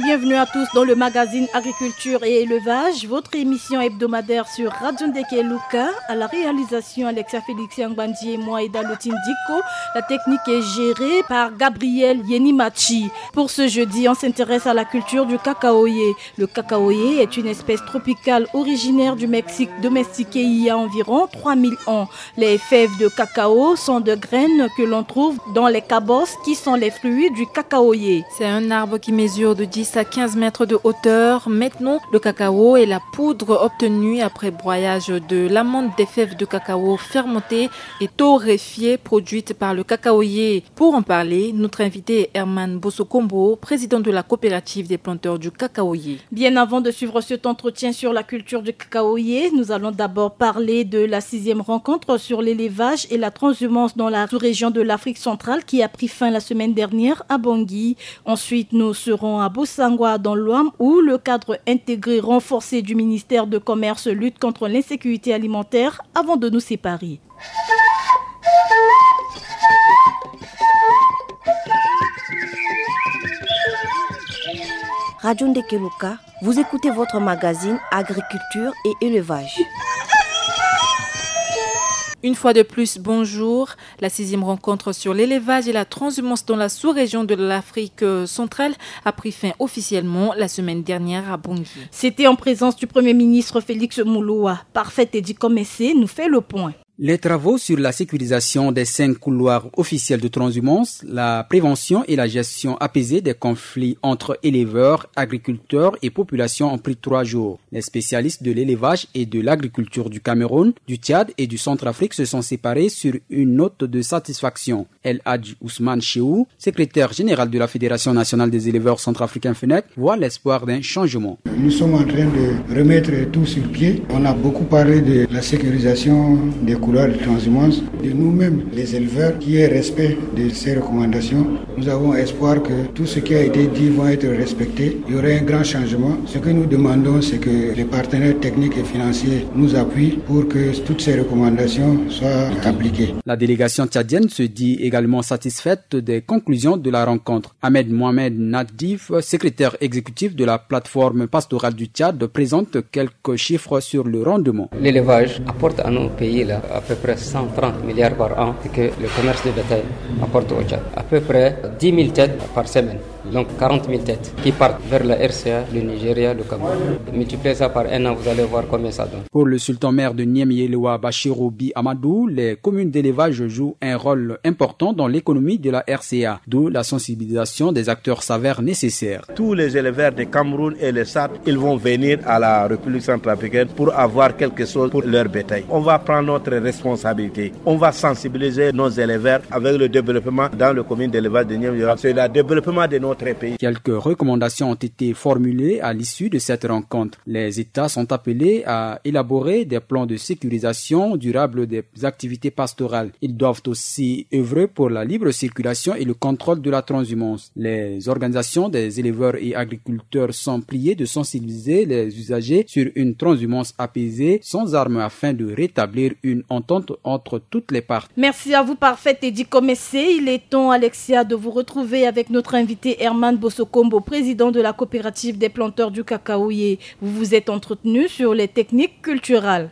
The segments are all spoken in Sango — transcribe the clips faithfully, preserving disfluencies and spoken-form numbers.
Bienvenue à tous dans le magazine Agriculture et Élevage, votre émission hebdomadaire sur Radio Ndekeluka. À la réalisation, Alexia Félix Angbandi et moi, Eda Lotindiko. La technique est gérée par Gabriel Yenimachi. Pour ce jeudi, on s'intéresse à la culture du cacaoyer. Le cacaoyer est une espèce tropicale originaire du Mexique, domestiquée il y a environ trois mille ans. Les fèves de cacao sont des graines que l'on trouve dans les kabosses, qui sont les fruits du cacaoyer. C'est un arbre qui mesure de dix à quinze mètres de hauteur. Maintenant, le cacao et la poudre obtenue après broyage de l'amande des fèves de cacao fermentées et torréfiées produites par le cacaoyer. Pour en parler, notre invité est Herman Bosokombo, président de la coopérative des planteurs du cacaoyer. Bien avant de suivre cet entretien sur la culture du cacaoyer, nous allons d'abord parler de la sixième rencontre sur l'élevage et la transhumance dans la sous-région de l'Afrique centrale, qui a pris fin la semaine dernière à Bangui. Ensuite, nous serons à Bossangoa, dans l'Ouham, où le cadre intégré renforcé du ministère de Commerce lutte contre l'insécurité alimentaire, avant de nous séparer. Radio Ndekeluka, vous écoutez votre magazine Agriculture et Élevage. Une fois de plus, bonjour. La sixième rencontre sur l'élevage et la transhumance dans la sous-région de l'Afrique, euh, centrale a pris fin officiellement la semaine dernière à Bangui. C'était en présence du Premier ministre Félix Mouloua. Parfait Teddy Komessé nous fait le point. Les travaux sur la sécurisation des cinq couloirs officiels de transhumance, la prévention et la gestion apaisée des conflits entre éleveurs, agriculteurs et population ont pris trois jours. Les spécialistes de l'élevage et de l'agriculture du Cameroun, du Tchad et du Centrafrique se sont séparés sur une note de satisfaction. El Hadj Ousmane Chehou, secrétaire général de la Fédération nationale des éleveurs centrafricains, fenec, voit l'espoir d'un changement. Nous sommes en train de remettre tout sur pied. On a beaucoup parlé de la sécurisation des couloirs de transhumance, de nous-mêmes, les éleveurs, qui est respect de ces recommandations. Nous avons espoir que tout ce qui a été dit va être respecté. Il y aura un grand changement. Ce que nous demandons, c'est que les partenaires techniques et financiers nous appuient pour que toutes ces recommandations soient appliquées. La délégation tchadienne se dit également satisfaite des conclusions de la rencontre. Ahmed Mohamed Nadif, secrétaire exécutif de la plateforme pastorale du Tchad, présente quelques chiffres sur le rendement. L'élevage apporte à nos pays là, à peu près cent trente milliards par an, et que le commerce de bétail apporte au Tchad à peu près dix mille têtes par semaine. Donc quarante mille têtes qui partent vers la R C A, le Nigeria, le Cameroun. Multipliez ça par un an, vous allez voir combien ça donne. Pour le sultan maire de Niamey-Yelewa, Bachirou Bi Amadou, les communes d'élevage jouent un rôle important dans l'économie de la R C A, d'où la sensibilisation des acteurs s'avère nécessaire. Tous les éleveurs de Cameroun et le Tchad, ils vont venir à la République centrafricaine pour avoir quelque chose pour leur bétail. On va prendre notre responsabilité. On va sensibiliser nos éleveurs avec le développement dans le commune d'élevage de Niamey-Yelewa. C'est le développement de notre pays. Quelques recommandations ont été formulées à l'issue de cette rencontre. Les États sont appelés à élaborer des plans de sécurisation durable des activités pastorales. Ils doivent aussi œuvrer pour la libre circulation et le contrôle de la transhumance. Les organisations des éleveurs et agriculteurs sont priées de sensibiliser les usagers sur une transhumance apaisée, sans armes, afin de rétablir une entente entre toutes les parties. Merci à vous, Parfait Teddy Komessé. Il est temps, Alexia, de vous retrouver avec notre invité Herman Bosokombo, président de la coopérative des planteurs du cacaoyer. Vous vous êtes entretenu sur les techniques culturelles.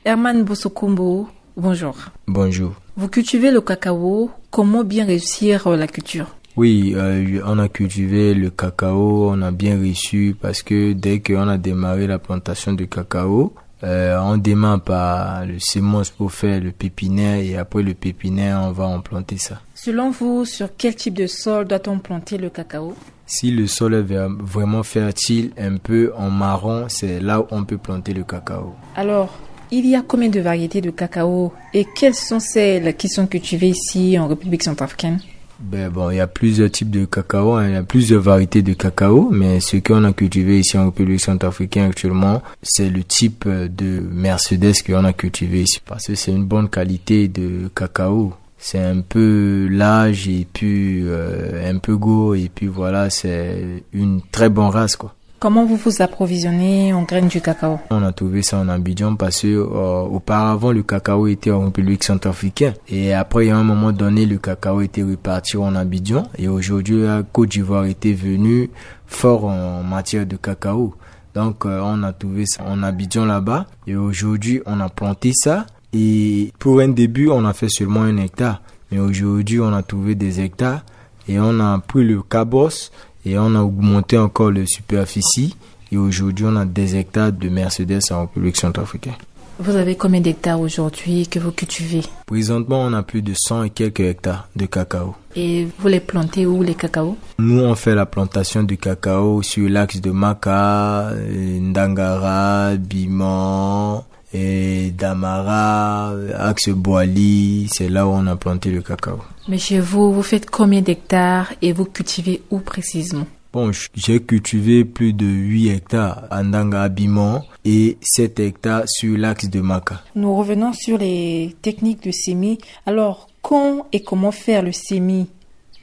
Herman Bosokombo, bonjour. Bonjour. Vous cultivez le cacao. Comment bien réussir, euh, la culture ? Oui, euh, on a cultivé le cacao, on a bien réussi parce que dès qu'on a démarré la plantation de cacao, euh, on démarre par le semences pour faire le pépinière et après le pépinière, on va en planter ça. Selon vous, sur quel type de sol doit-on planter le cacao ? Si le sol est ver-, vraiment fertile, un peu en marron, c'est là où on peut planter le cacao. Alors, il y a combien de variétés de cacao et quelles sont celles qui sont cultivées ici en République centrafricaine ? Ben bon, il y a plusieurs types de cacao, hein, il y a plusieurs variétés de cacao, mais ce qu'on a cultivé ici en République centrafricaine actuellement, c'est le type, euh, de Mercedes qu'on a cultivé ici, parce que c'est une bonne qualité de cacao. C'est un peu large et puis, euh, un peu gros et puis voilà, c'est une très bonne race, quoi. Comment vous vous approvisionnez en graines du cacao ? On a trouvé ça en Abidjan parce que euh, auparavant le cacao était en République centrafricaine et après il y a un moment donné le cacao était reparti en Abidjan et aujourd'hui la Côte d'Ivoire était venue fort en matière de cacao. Donc euh, on a trouvé ça en Abidjan là-bas et aujourd'hui on a planté ça et pour un début on a fait seulement un hectare mais aujourd'hui on a trouvé des hectares et on a pris le cabos et on a augmenté encore le superficie et aujourd'hui on a des hectares de Mercedes en République centrafricaine. Vous avez combien d'hectares aujourd'hui que vous cultivez ? Présentement, on a plus de cent et quelques hectares de cacao. Et vous les plantez où, les cacaos ? Nous, on fait la plantation de cacao sur l'axe de Maka, euh, Ndangara, Biman, et Damara, axe Boali, c'est là où on a planté le cacao. Mais chez vous, vous faites combien d'hectares et vous cultivez où précisément ? Bon, j'ai cultivé plus de huit hectares à Ndanga Abiman et sept hectares sur l'axe de Maka. Nous revenons sur les techniques de semis. Alors, quand et comment faire le semis ?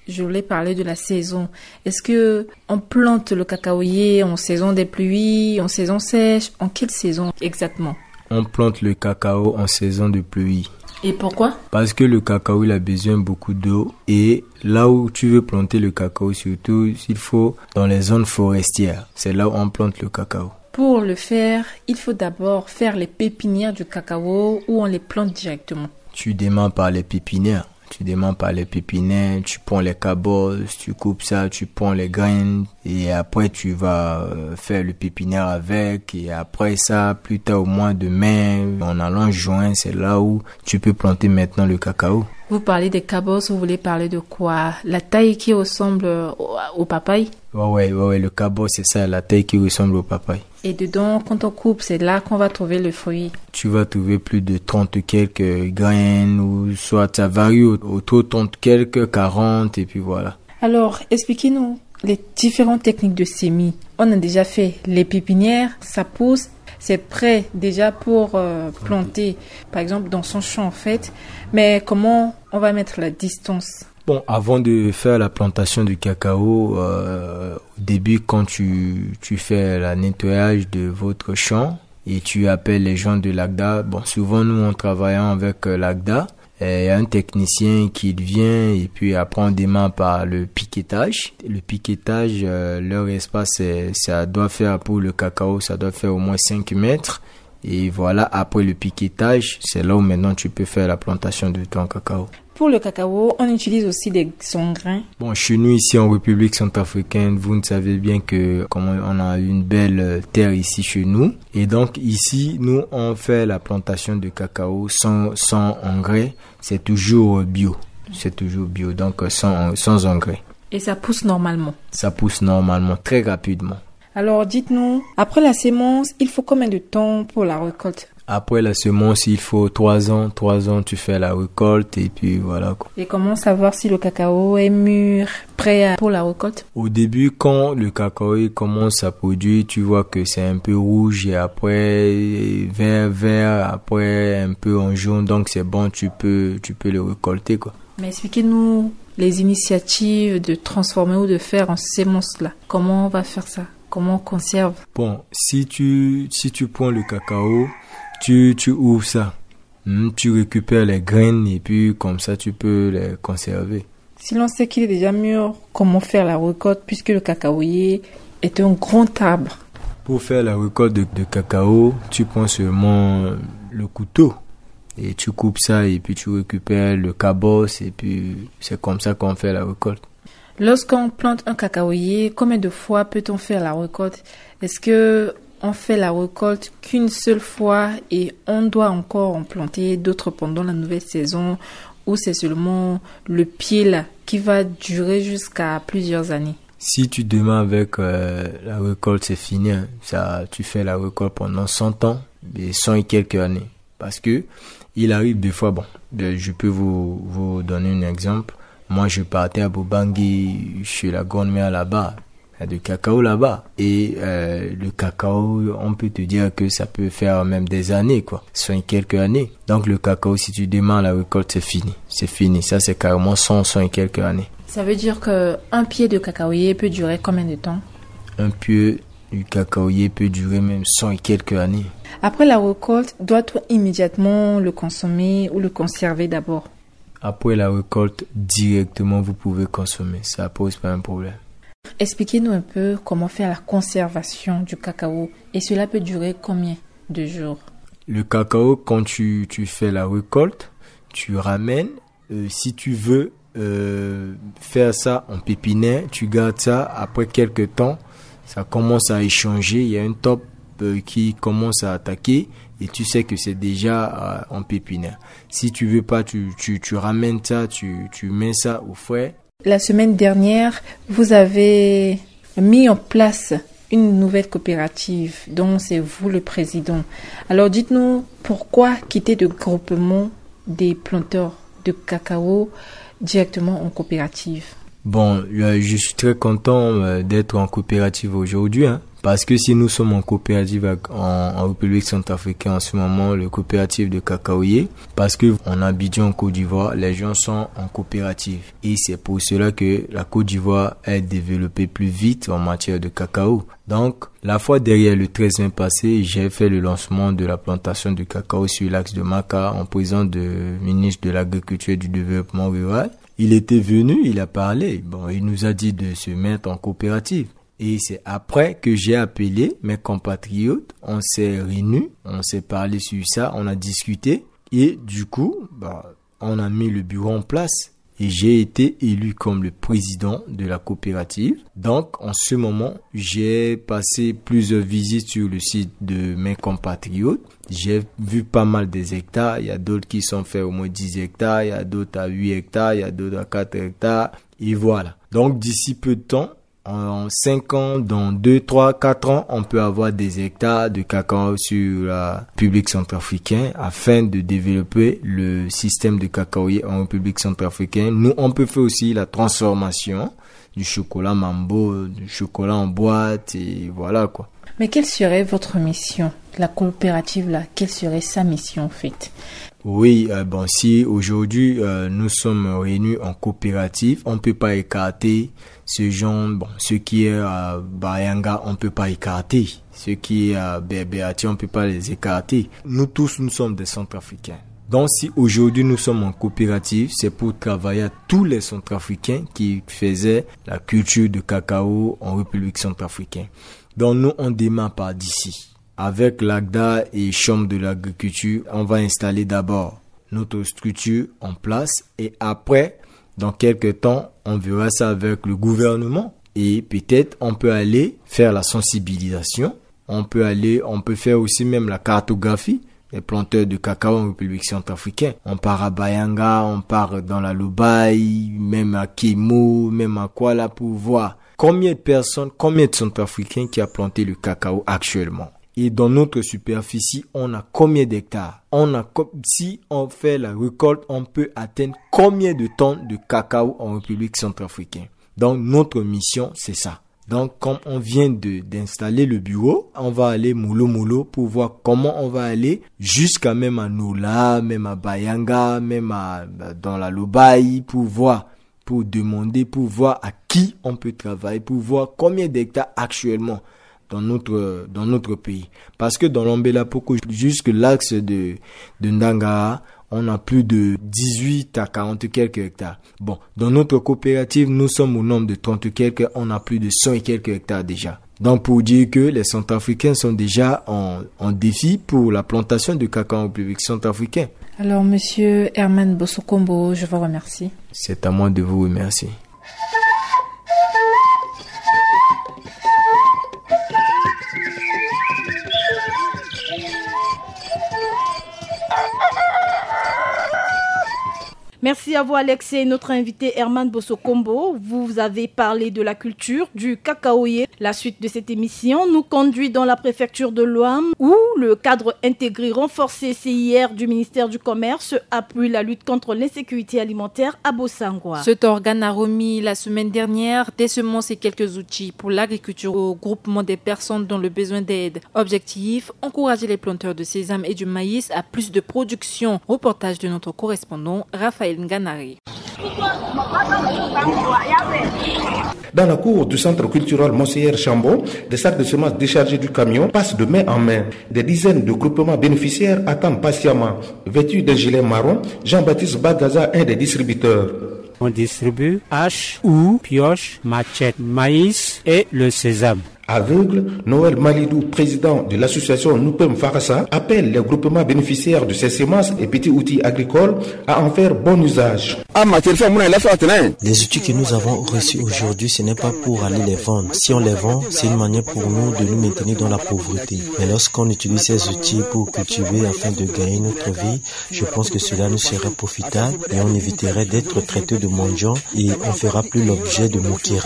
Je voulais parler de la saison. Est-ce que on plante le cacaoyer en saison des pluies, en saison sèche ? En quelle saison exactement ? On plante le cacao en saison de pluie. Et pourquoi ? Parce que le cacao, il a besoin beaucoup d'eau. Et là où tu veux planter le cacao, surtout, il faut dans les zones forestières. C'est là où on plante le cacao. Pour le faire, il faut d'abord faire les pépinières du cacao ou on les plante directement ? Tu démarres par les pépinières. Tu démarres par les pépinières, tu prends les cabos, tu coupes ça, tu prends les graines et après tu vas euh, faire le pépinière avec et après ça, plus tard au mois de mai, en allant juin, c'est là où tu peux planter maintenant le cacao. Vous parlez des cabos, vous voulez parler de quoi ? La taille qui ressemble au, au papaye ? Ouais, ouais, ouais, ouais, le cabos, c'est ça, la taille qui ressemble au papaye. Et dedans, quand on coupe, c'est là qu'on va trouver le fruit. Tu vas trouver plus de trente quelques graines, ou soit ça varie au- autour de trente quelques, quarante, et puis voilà. Alors, expliquez-nous les différentes techniques de semis. On a déjà fait les pépinières, ça pousse, c'est prêt déjà pour euh, planter, par exemple, dans son champ en fait. Mais comment on va mettre la distance ? Bon, avant de faire la plantation du cacao, euh, au début, quand tu, tu fais le nettoyage de votre champ et tu appelles les gens de l'ACDA, bon, souvent nous, en travaillant avec euh, l'ACDA, euh, il y a un technicien qui vient et puis après on démarre par le piquetage. Le piquetage, euh, leur espace, c'est- ça doit faire pour le cacao, ça doit faire au moins cinq mètres. Et voilà, après le piquetage, c'est là où maintenant tu peux faire la plantation de ton cacao. Pour le cacao, on utilise aussi des engrins. Bon, chez nous ici en République centrafricaine, vous ne savez bien que comme on a une belle euh, terre ici chez nous. Et donc ici, nous, on fait la plantation de cacao sans, sans engrais. C'est toujours bio. C'est toujours bio, donc euh, sans, sans engrais. Et ça pousse normalement ? Ça pousse normalement, très rapidement. Alors dites-nous, après la semence, il faut combien de temps pour la récolte ? Après la semence, il faut trois ans. Trois ans, tu fais la récolte et puis voilà quoi. Et comment savoir si le cacao est mûr, prêt à- pour la récolte ? Au début, quand le cacao il commence à produire, tu vois que c'est un peu rouge et après vert, vert, après un peu en jaune. Donc c'est bon, tu peux, tu peux le récolter quoi. Mais expliquez-nous les initiatives de transformer ou de faire en sémence là. Comment on va faire ça ? Comment on conserve ? Bon, si tu, si tu prends le cacao, tu, tu ouvres ça. Hmm, tu récupères les graines et puis comme ça, tu peux les conserver. Si l'on sait qu'il est déjà mûr, comment faire la récolte puisque le cacaoyer est un grand arbre ? Pour faire la récolte de, de cacao, tu prends seulement le couteau et tu coupes ça et puis tu récupères le cabos et puis c'est comme ça qu'on fait la récolte. Lorsqu'on plante un cacaoyer, combien de fois peut-on faire la récolte ? Est-ce que on fait la récolte qu'une seule fois et on doit encore en planter d'autres pendant la nouvelle saison, ou c'est seulement le pied là qui va durer jusqu'à plusieurs années ? Si tu démarres avec euh, la récolte, c'est fini, hein. Ça, tu fais la récolte pendant cent ans, et cent et quelques années. Parce que il arrive des fois, bon, euh, je peux vous, vous donner un exemple. Moi, je partais à Bobangi chez la grand-mère là-bas. Il y a du cacao là-bas. Et euh, le cacao, on peut te dire que ça peut faire même des années, quoi. Cent et quelques années. Donc le cacao, si tu démarres la récolte, c'est fini. C'est fini. Ça, c'est carrément cent, cent et quelques années. Ça veut dire que un pied de cacaoyer peut durer combien de temps ? Un pied, Du cacaoyer peut durer même cent et quelques années. Après la récolte, doit-on immédiatement le consommer ou le conserver d'abord ? Après la récolte, directement, vous pouvez consommer. Ça pose pas un problème. Expliquez-nous un peu comment faire la conservation du cacao. Et cela peut durer combien de jours ? Le cacao, quand tu, tu fais la récolte, tu ramènes. Euh, si tu veux euh, faire ça en pépinière, tu gardes ça. Après quelques temps, ça commence à échanger. Il y a un top euh, qui commence à attaquer et tu sais que c'est déjà euh, en pépinière. Si tu veux pas, tu, tu, tu ramènes ça, tu, tu mets ça au frais. La semaine dernière, vous avez mis en place une nouvelle coopérative dont c'est vous le président. Alors dites-nous, pourquoi quitter le groupement des planteurs de cacao directement en coopérative ? Bon, euh, je suis très content euh, d'être en coopérative aujourd'hui, hein, parce que si nous sommes en coopérative avec- en, en République centrafricaine en ce moment, le coopérative de cacaoyer, parce que en Abidjan, en Côte d'Ivoire, les gens sont en coopérative. Et c'est pour cela que la Côte d'Ivoire est développée plus vite en matière de cacao. Donc, la fois dernière, le treize mai passé, j'ai fait le lancement de la plantation de cacao sur l'axe de Maka en présence du ministre de l'Agriculture et du Développement rural. Il était venu, il a parlé. Bon, il nous a dit de se mettre en coopérative. Et c'est après que j'ai appelé mes compatriotes, on s'est réunis, on s'est parlé sur ça, on a discuté. Et du coup, bah, on a mis le bureau en place. Et j'ai été élu comme le président de la coopérative. Donc, en ce moment, j'ai passé plusieurs visites sur le site de mes compatriotes. J'ai vu pas mal des hectares. Il y a d'autres qui sont faits au moins dix hectares, il y a d'autres à huit hectares, il y a d'autres à quatre hectares. Et voilà. Donc, d'ici peu de temps, en cinq ans, dans deux, trois, quatre ans, on peut avoir des hectares de cacao sur la République centrafricaine afin de développer le système de cacaoyer en République centrafricaine. Nous, on peut faire aussi la transformation du chocolat mambo, du chocolat en boîte, et voilà quoi. Mais quelle serait votre mission ? La coopérative là, quelle serait sa mission en fait ? Oui, euh, bon, si aujourd'hui euh, nous sommes réunis en coopérative, on ne peut pas écarter ce genre, bon, ce qui est à Bayanga, on ne peut pas écarter. Ce qui est à Berberati, on ne peut pas les écarter. Nous tous, nous sommes des Centrafricains. Donc si aujourd'hui nous sommes en coopérative, c'est pour travailler à tous les Centrafricains qui faisaient la culture de cacao en République centrafricaine. Donc nous, on démarre par d'ici. Avec l'AGDA et Chambre de l'agriculture, on va installer d'abord notre structure en place et après, dans quelques temps, on verra ça avec le gouvernement et peut-être on peut aller faire la sensibilisation. On peut aller, on peut faire aussi même la cartographie des planteurs de cacao en République centrafricaine. On part à Bayanga, on part dans la Lobaye, même à Kemo, même à Kuala pour voir combien de personnes, combien de Centrafricains qui a planté le cacao actuellement. Et dans notre superficie, on a combien d'hectares ? On a, si on fait la récolte, on peut atteindre combien de tonnes de cacao en République centrafricaine ? Donc notre mission, c'est ça. Donc, comme on vient de, d'installer le bureau, on va aller mollo mollo pour voir comment on va aller jusqu'à même à Nola, même à Bayanga, même à, dans la Lobaye, pour voir, pour demander, pour voir à qui on peut travailler, pour voir combien d'hectares actuellement dans notre, dans notre pays. Parce que dans l'Ambela Poko, jusque l'axe de, de Ndanga, on a plus de dix-huit à quarante quelques hectares. Bon, dans notre coopérative, nous sommes au nombre de trente quelques, on a plus de cent et quelques hectares déjà. Donc pour dire que les Centrafricains sont déjà en, en défi pour la plantation de cacao en République centrafricaine. Alors, monsieur Herman Bosokombo, je vous remercie. C'est à moi de vous remercier. Merci à vous, Alex, et notre invité Herman Bosokombo. Vous avez parlé de la culture du cacaoyer. La suite de cette émission nous conduit dans la préfecture de l'Ouham, où le cadre intégré renforcé C I R du ministère du Commerce appuie la lutte contre l'insécurité alimentaire à Bossangoa. Cet organe a remis la semaine dernière des semences et quelques outils pour l'agriculture au groupement des personnes dans le besoin d'aide. Objectif, encourager les planteurs de sésame et du maïs à plus de production. Reportage de notre correspondant Raphaël Nganari. Dans la cour du centre culturel Monseigneur Chambon, des sacs de semences déchargés du camion passent de main en main. Des dizaines de groupements bénéficiaires attendent patiemment. Vêtu d'un gilet marron, Jean-Baptiste Bagaza, un des distributeurs. On distribue hache, houe, pioche, machette, maïs et le sésame. Aveugle, Noël Malidou, président de l'association Noupem Farasa, appelle les groupements bénéficiaires de ces semences et petits outils agricoles à en faire bon usage. Les outils que nous avons reçus aujourd'hui, ce n'est pas pour aller les vendre. Si on les vend, c'est une manière pour nous de nous maintenir dans la pauvreté. Mais lorsqu'on utilise ces outils pour cultiver afin de gagner notre vie, je pense que cela nous sera profitable et on éviterait d'être traité de mendiants et on fera plus l'objet de moqueries.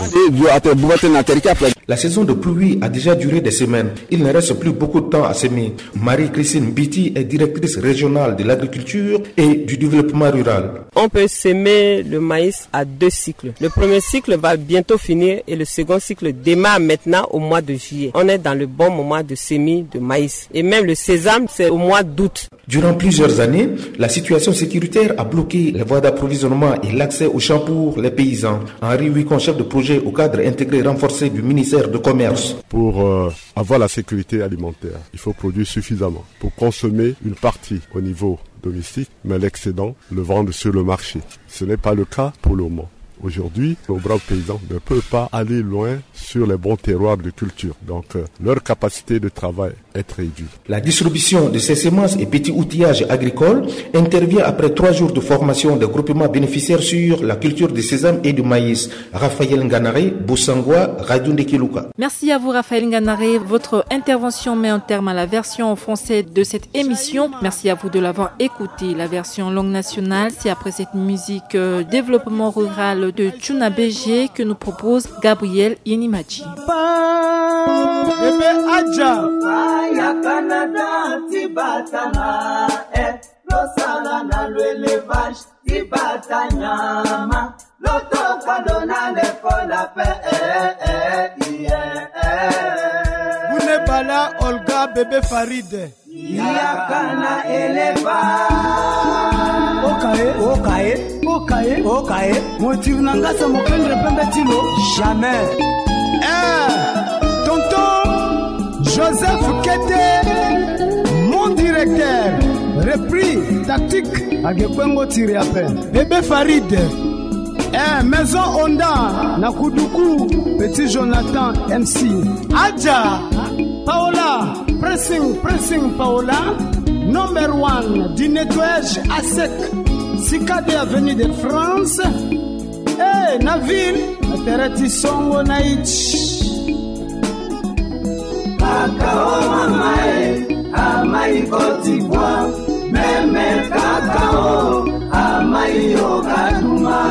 La saison de pluie a déjà duré des semaines. Il ne reste plus beaucoup de temps à semer. Marie-Christine Biti est directrice régionale de l'agriculture et du développement rural. On peut semer le maïs à deux cycles. Le premier cycle va bientôt finir et le second cycle démarre maintenant au mois de juillet. On est dans le bon moment de semis de maïs. Et même le sésame, c'est au mois d'août. Durant plusieurs années, la situation sécuritaire a bloqué les voies d'approvisionnement et l'accès aux champs pour les paysans. Henri Wicon, chef de projet au cadre intégré renforcé du ministère de Commerce. Pour euh, avoir la sécurité alimentaire, il faut produire suffisamment pour consommer une partie au niveau domestique, mais l'excédent, le vendre sur le marché. Ce n'est pas le cas pour le moment. Aujourd'hui, nos braves paysans ne peuvent pas aller loin sur les bons terroirs de culture. Donc, euh, leur capacité de travail est réduite. La distribution de ces semences et petits outillages agricoles intervient après trois jours de formation des groupements bénéficiaires sur la culture de sésame et de maïs. Raphaël Nganaré, Bossangoa, Radio Ndekeluka. Merci à vous, Raphaël Nganaré. Votre intervention met un terme à la version en français de cette émission. Merci à vous de l'avoir écoutée. La version langue nationale, c'est après cette musique euh, développement rural de Tchuna B G que nous propose Gabriel Yenimachi. Bébé Adja. Aya Canada ti batana, eh, lo sala na lo élevage ti bata nyama. Lo toka lo na l'école pe, eh, eh, eh, eh. Bune bala Olga bébé Farid. Yaka na élevage. Okaye, okaye, okaye, okaye. Motiri na ngasa mokengre pembe ti lo. Jamais. Eh, tonton Joseph Kete, mon directeur, repris tactique. Age kpengo tiri ape. Bébé Farid. Eh, Maison Honda na Kuduku, petit Jonathan M C. Adja Paola, pressing, pressing Paola, number one du nettoyage à sec, Cicade avenue de France. Eh, na ville, na tere ti songo na iti. Kaka o mama e, amai Côte d'Ivoire, meme kaka o, amai yo kaduma.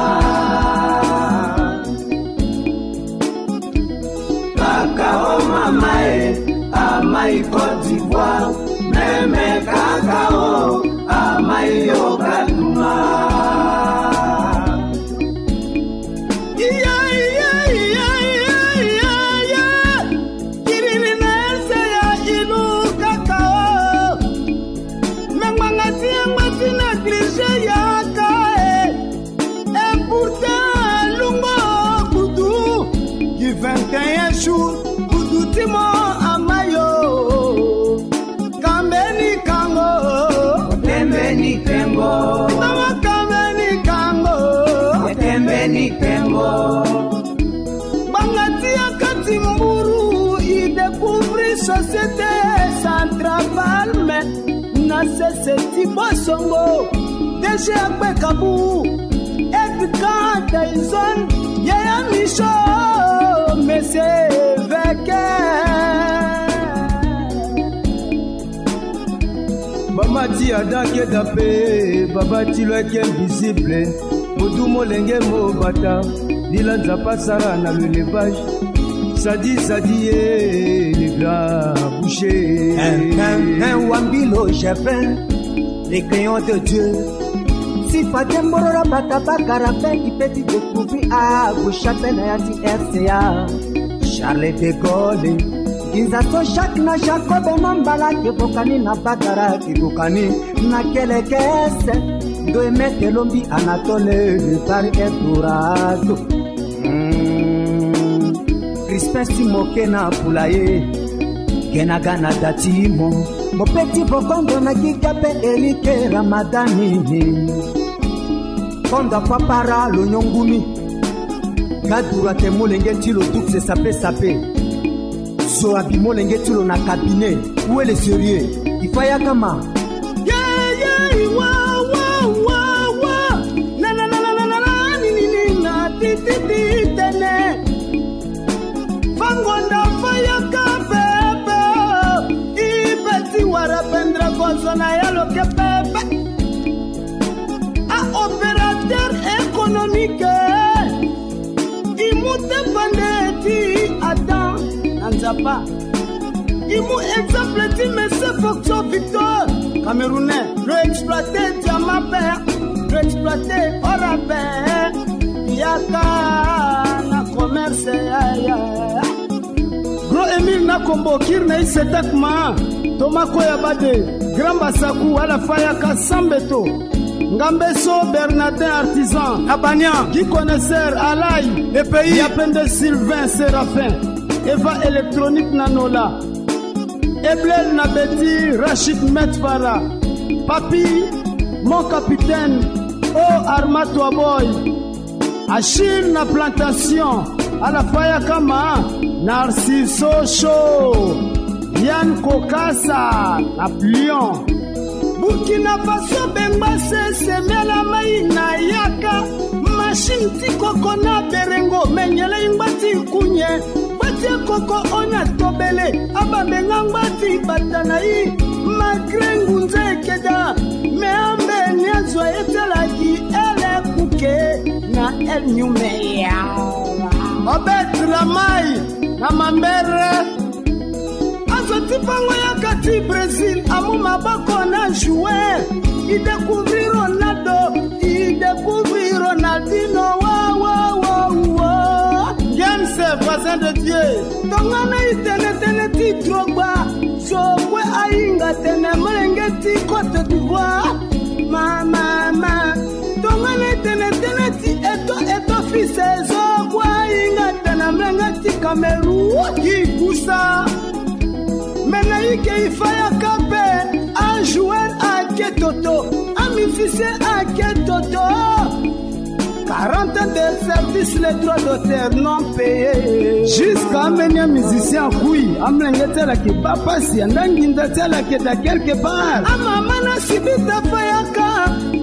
Kaka o mama e, amai Côte d'Ivoire, meme kaka o, amai yo kaduma. Iya, iya, iya, iya, iya, iya. Kiriri na ese ya ilu kaka o. Me ngbanga ti yangba ti négligé yaka e. Et pourtant, lungo kudu, ki vingt et un jours, kudu ti mo ama yo. Kambeni kango. Otembeni tengo. Mama kambeni kango. Otembeni tengo. Ngbanga ti yaka ti mburu, i découvrir société Centrafalme. Na sese ti Bosongo, D G Akpe Kabu, Edgar Tyson, Yaya Michaud, Monsieur Veke. Mama ti Ada Keda pe, baba ti lo eke invisible. Modu molenge mo bata, Dila Nzapa sara na l'élevage. Sadi, Sadi, eh, le grand boucher. Un, un, un, Wambilo Gervin, le crayon de Dieu. Si Fatia Mborora bata bakara pe, il peut découvrir à Bouchapé na ya ti R C A. Charles de Gaulle, Inza so Jacques na Jacob na mbala ke bokani na bagara ke bokani na kelekese. Ndo emete lombi Anatole par Eldorado. Mm. Crispin si moke na pulaye. Kenaga na dati mo. Mopeti bokondo na kika pe Erike Ramadani. Konda papara lo nyongumi. Gadura te molenge ti lo dukse sape sape. Zo abi molenge ti lo na cabinet. Où est le sérieux? Il faut yaka ma. Ye, ye, wa, wa, wa, wa. Na, na, na, ni, ni, ni, na, ti, ti, ti, tene. Fangonda fayaka pepe. Ibeti wara pendra gozo na yalo ke pepe. A opérateur économique. I mu te pande ti Adam na Nzapa. I mu exemple ti Monsieur Foxo Victor, Camerounais, lo exploité diamant pe, lo exploité or pe. Yaka na commerce, ya, ya. Gros Émile Nakombo, kiri na i setak ma. Thomas Koyabade, Grand Basaku, ala fayaka sambeto. Ngambeso Bernardin Artisan, Abania, Guy Connaisseur, Alai, E P I, Yapende Sylvain Séraphin, Eva Électronique na Nola, Eblel na Betty, Rachid Metfara, Papi, mon capitaine, O Armato Aboy, Achille na Plantation, ala fayaka ma. Narciso Show, Yann Kokasa na Plion. Burkina Faso bengba sese miala mai na yaka. Machine ti koko na berengo menyele ingba ti kunye. Ngba ti koko ona tobele. Abambe nga ngba ti bata na i. Magre ngunza ekeda. Me ambe ni azwa etalaki ele kuke na el nyume ya. Obet Lamai na Mambere. Azo ti bango yaka ti Brésil amu maboko na joueur. I découvrir Ronaldo, i découvrir Ronaldinho, wa, wa, wa, wa. James, voisin de Dieu. Tongana i tene tene ti Drogba, zo kue ahinga tene molenge ti Côte d'Ivoire. Ma, ma, ma. Tongana i tene tene ti Eto, Eto fils zo kue ahinga tene molenge ti Cameroun. Ki kusa. Me na i ke i fayaka pe, a joueur ake toto, a musicien ake toto. Quarante ans de service, les droits d'auteur non payés. Jusqu'à amener un musicien akui, amlenge ti ala ke baa pasi, anda nginza ti ala ke da quelque part. Amama na sibita fayaka,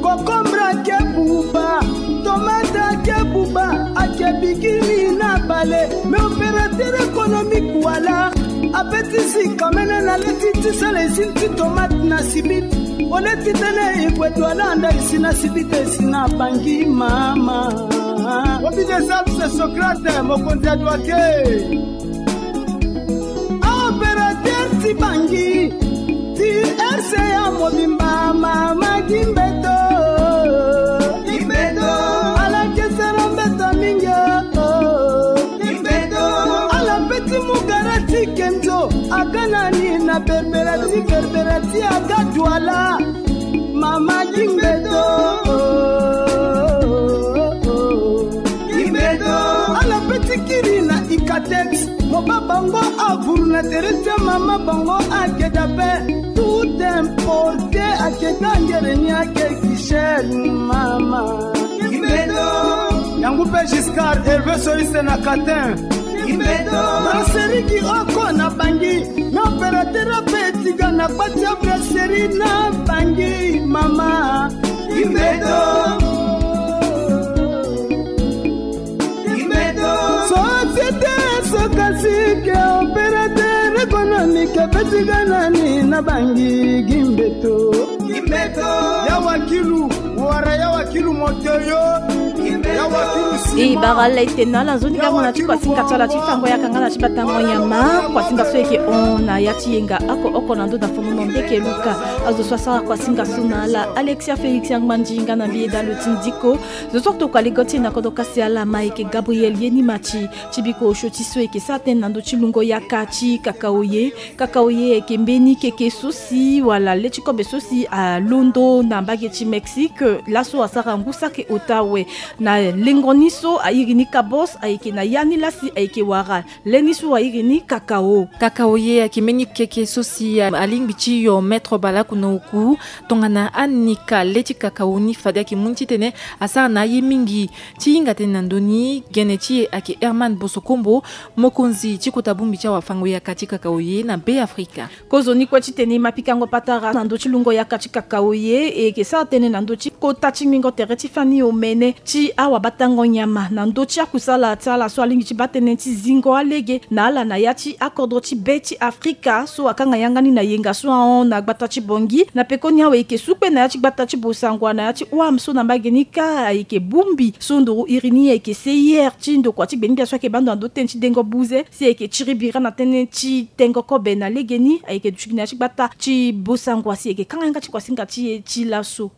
kokombra ke buba, tomata ke buba, ake bigini na bale. Mais opérateur économique wala, ape ti si kamene na le ti ti sala usine ti tomate na sibit. Ole ti tene e gue Douala anda e si na sibit e si na Bangui mama. Obi des Alpes, c'est Socrate, mokonzi ya Douake. A opérateur ti Bangui, ti R C A mobimba mama Gimbeto. Gimbeto. Ala ke sara mbeto mingi o. Gimbeto. Ala pe ti mu gara ti Kenzo, aga na ni na berbera ti berbera ti aga Douala. Mama Gimbeto. Gimbeto. Ala pe ti kiri na Icatex, mo baa bango avuru na tere ti amama bango ake dabe. Tout importé ake ga ngere ni ake ki cher mama. Gimbeto. Yango pe Giscard, Hervé Soïs na Catin. Gimbeto. Brasserie Kioko na Bangui. Na opérateur ape ti ga na kpa ti abrasserie na Bangui mama. Gimbeto. Gimbeto. Société Socasec, opérateur économique, ape ti ga na ni na Bangui Gimbeto. Gimbeto. Ya wakilu, wara ya wakilu moto yo. Gimbeto. E bara ala ete na ala nzoni gango na ti kuasinga ti ala ti fango yaka nga na ti batango nyama. Kuasinga so eke hon na ya ti yenga oko oko na ndö na fonono ndeke luka. Azo so asara kuasinga so na ala Alexia Félix Angbandi nga na mbi Eda Loti Ndiko. Zo so tokua ligo ti e na kodro kasi ala ma eke Gabriel Yenimati. Ti biko osio ti so eke sara tënë na ndö ti lungo yaka ti kakao ye. Kakao ye eke mbeni keke so si wala le ti kobe so si alondo na mbage ti Mexique. Laso asara ngu saki ota awe na lengo ni so airi ni kabos ayeke na ya ni lasi ayeke wara le ni so airi ni kakao. Kakao ye ayeke mbeni keke so si alingbi ti yo mètre baleoko na oku. Tongana anika le ti kakao ni fade ayeke mu ni titene asara na aye mingi. Ti hinga tënë na ndö ni gene ti e ayeke Herman Bosokombo, mokonzi ti kota bongbi ti awafango yaka ti kakao ye na Be Afrika. Kozoni kue titene e ma pikango patara na ndö ti lungo yaka ti kakao ye, e yeke sara tënë na ndö ti kota ti ngbingo tere ti fani omene ti awabatango nyama na ndö ti akusala ti ala so alingbi ti baa tënë ti zingo alege na ala na ya ti akodro ti Be ti Afrika so akanga yanga ni na yenga so ahon na gbata ti Bangui. Na pekoni awe e yeke sukpe na ya ti gbata ti Bossangoa na ya ti Ouham so na mbage ni kâ ayeke bongbi so nduru iri ni ayeke C I R ti ndokua ti gbengbia so ayeke baa ndo na ndö tënë ti dengo buze si ayeke tiri bira na tënë ti tengo kobe na legeni ayeke duti gi na ya ti gbata ti Bossangoa si ayeke kanga yanga ti kuasinga ti e ti laso.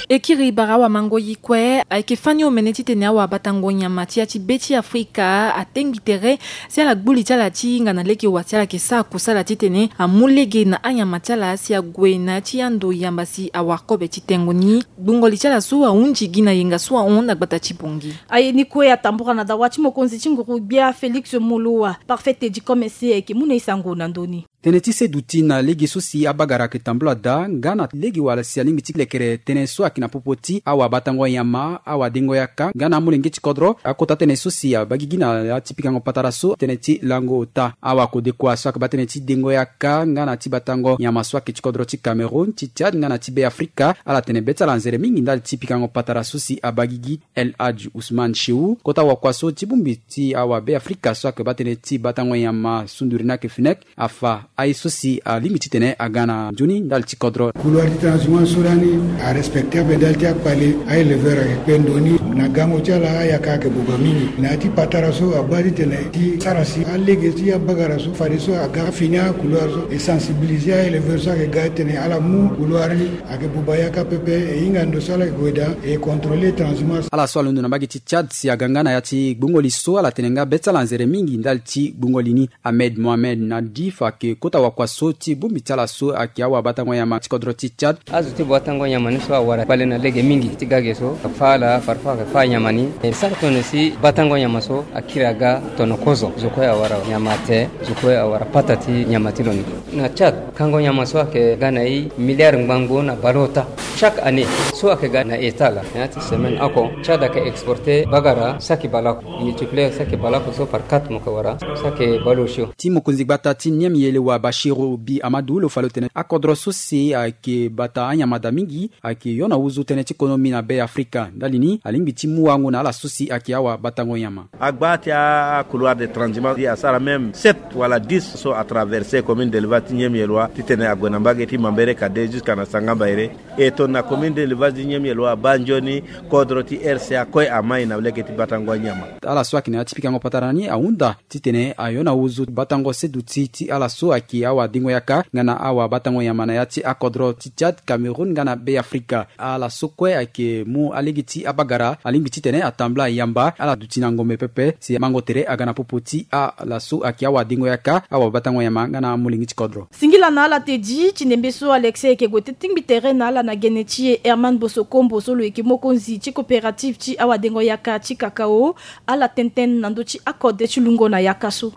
E kiri bara awamango-yi kue ayeke fani omene titene awabatango nyama ti ya ti Be ti Afrika atengi tere si ala gbu li ti ala ti hinga na lege wa si ala yeke sara kusala titene amu lege na anyama ti ala si ague na ya ti ando yamba si awara kobe ti tengo ni. Gbungo li ti ala so ahunzi gi na yenga so ahon na gbata ti Bangui. Aye ni kue atambura na dawa ti mokonzi ti nguru-gbia Félix Moloua. Parfait Teddy Commerce ayeke mu na e sango na ndö ni. Tënë ti seduti na lege so si abagara ayeke tambula daa nga na lege wala si alingbi ti lekere tënë so ayeke na popo ti awabatango nyama, awadengo yaka nga na amolenge ti kodro. Akota tënë so si abaa gigi na ya ti pikango patara so tënë ti lango ota. Awakodekua so ayeke baa tënë ti dengo yaka nga na ti batango nyama so ayeke ti kodro ti Cameroun, ti Tchad nga na ti Be Afrika, ala tene be ti ala nzere mingi ndali ti pikango patara so si abaa gigi. El Hadj Ousmane Chehou, kota wakua so ti bongbi ti awa Be Afrika so ayeke baa tënë ti batango nyama sunduri ni ayeke FUNEC, afa aye so si alingbi titene aga na nzoni ndali ti kodro. Couloir ti transhumance so lani arespecté ape ndali ti akpale. Aéleveur ayeke kpe ndo ni na gango ti ala, ayaka ayeke boba mingi. Na ya ti patara so abaa titene ti sara si alege ti abagara so fadeso aga afini acouloir so e sensibilisé aéleveur so ayeke ga titene ala mu couloir ni. Ayeke buba yaka pepe, e hinga ndo so ala yeke gue daa, e contrôler transhumance. Ala so alondo na mbage ti Tchad si aga nga na ya ti gbungo li so, ala tene nga be ti ala nzere mingi ndali ti gbungo li ni. Ahmed Mohamed Nadif ayeke kota wakua so ti bongbi ti ala so ayeke awabatango nyama ti kodro ti Tchad. Azo ti batango nyama ni so awara kpale na lege mingi ti ga ge so, afa ala, parfois ayeke fa anyama ni. E sara tongana si batango nyama so akiri aga tongana kozo. Zo kue awara nyama te, zo kue awara pata ti nyama ti lo ni. Na Tchad, kango nyama so ayeke ga na e milliard ngbangbo na baleota chaque année, so ayeke ga na état laa. Na ya ti semaine oko, Tchad ayeke exporter bagara saki baleoko, multiplier saki baleoko so par quatre mo yeke wara, saki baleosio. Ti mokonzi gbata ti Niamey Yelewa Bachiru Bi Amadou lo fa lo tene akodro so si ayeke bata anyama daa mingi, ayeke yo na huzu tënë ti konomi na Be Afrika. Ndali ni alingbi ti mu wango na ala so si ayeke awabatango nyama. Agba ti acouloir de transhumance asara même sept wala dix so atraverser commune d'élevage ti Niamey Yelewa titene ague na mbage ti Mambere Kade jusqu'à na Sangamba Ere. E tongana commune d'élevage ti Niamey Yelewa abaa nzoni, kodro ti R C A kue amai na lege ti batango anyama. Ala so ayeke na ya ti pikango patara ni ahunda titene ayo na huzu batango seduti ti ala so ayeke awadengo yaka nga na awabatango nyama na ya ti akodro ti Tchad, Cameroun nga na Be Afrika. Ala so kue ayeke mu alege ti abagara alingbi titene atambula yamba ala duti na ngombe pepe si mango tere aga na popo ti ala so ayeke awadengo yaka, awabatango nyama nga na amolenge ti kodro. Singila na ala Teddy, ti ndembe so Alexia ayeke gue ti tingbi tere na ala na gene ti e Herman Bosokombo so lo yeke mokonzi ti coopérative ti awadengo yaka ti kakao. Ala tene tënë na ndö ti akode ti lungo na yaka so.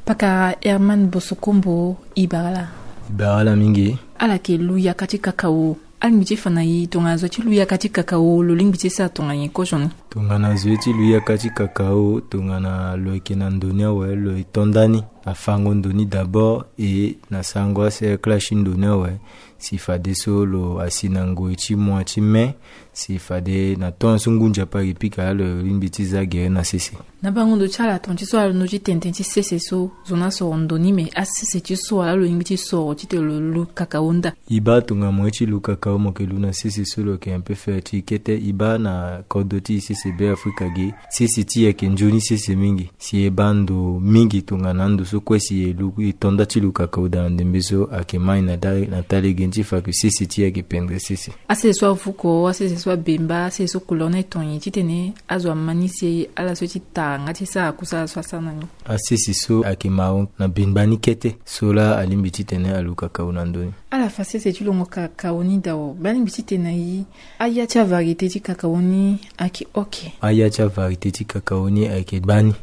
Pakara Herman Bosokombo, e bara ala. E bara ala mingi. Ala yeke lu yaka ti kakao. Alingbi ti fa na e tongana zo ti lu yaka ti kakao lo lingbi ti sara tongana nyen kozo ni? Tongana zo ti lu yaka ti kakao, tongana lo yeke na ndo ni awe, lo e to ndani. Afango ndo ni d'abord e na sango acercle ti ndo ni awe. Si fadeso lo asi na ngoi ti mois ti mai, si fade na tongaso ngu nzapa ayeke pika laa lo lingbi ti za gere na sese. Na bango ndo ti ala ton ti so ala londo ti tene tene ti sese so, zo ni asoro ndo ni, me asese ti so ala lo lingbi ti soro titene lo lu kakao nda? E baa tongana mo ye ti lu kakao mo yeke lu na sese so lo yeke un peu fertile kete. E baa na kodro ti e sese Beafrika ge, sese ti e ayeke nzoni sese mingi. Si e baa ndo mingi tongana ando so kue si e lu, e to nda ti lu kakao daa na ndembe so ayeke mai na ta, na ta lege ni ti fa ke sese ti e ayeke pendre sese. Asese so avuko, asese so abemba, asese so couleur ni aye ton nyen titene azo ama ni si ala so ti tara nga ti sara kusala so asara na ni? Asese so ayeke marron na bemba ni kete, so laa alingbi titene alu kakao na ndo ni. Ala fa sese ti longo kakao ni dao, mbi alingbi titene na e, aya ti avariété ti kakao ni ayeke oke? Aya ti avariété ti kakao ni ayeke gbani.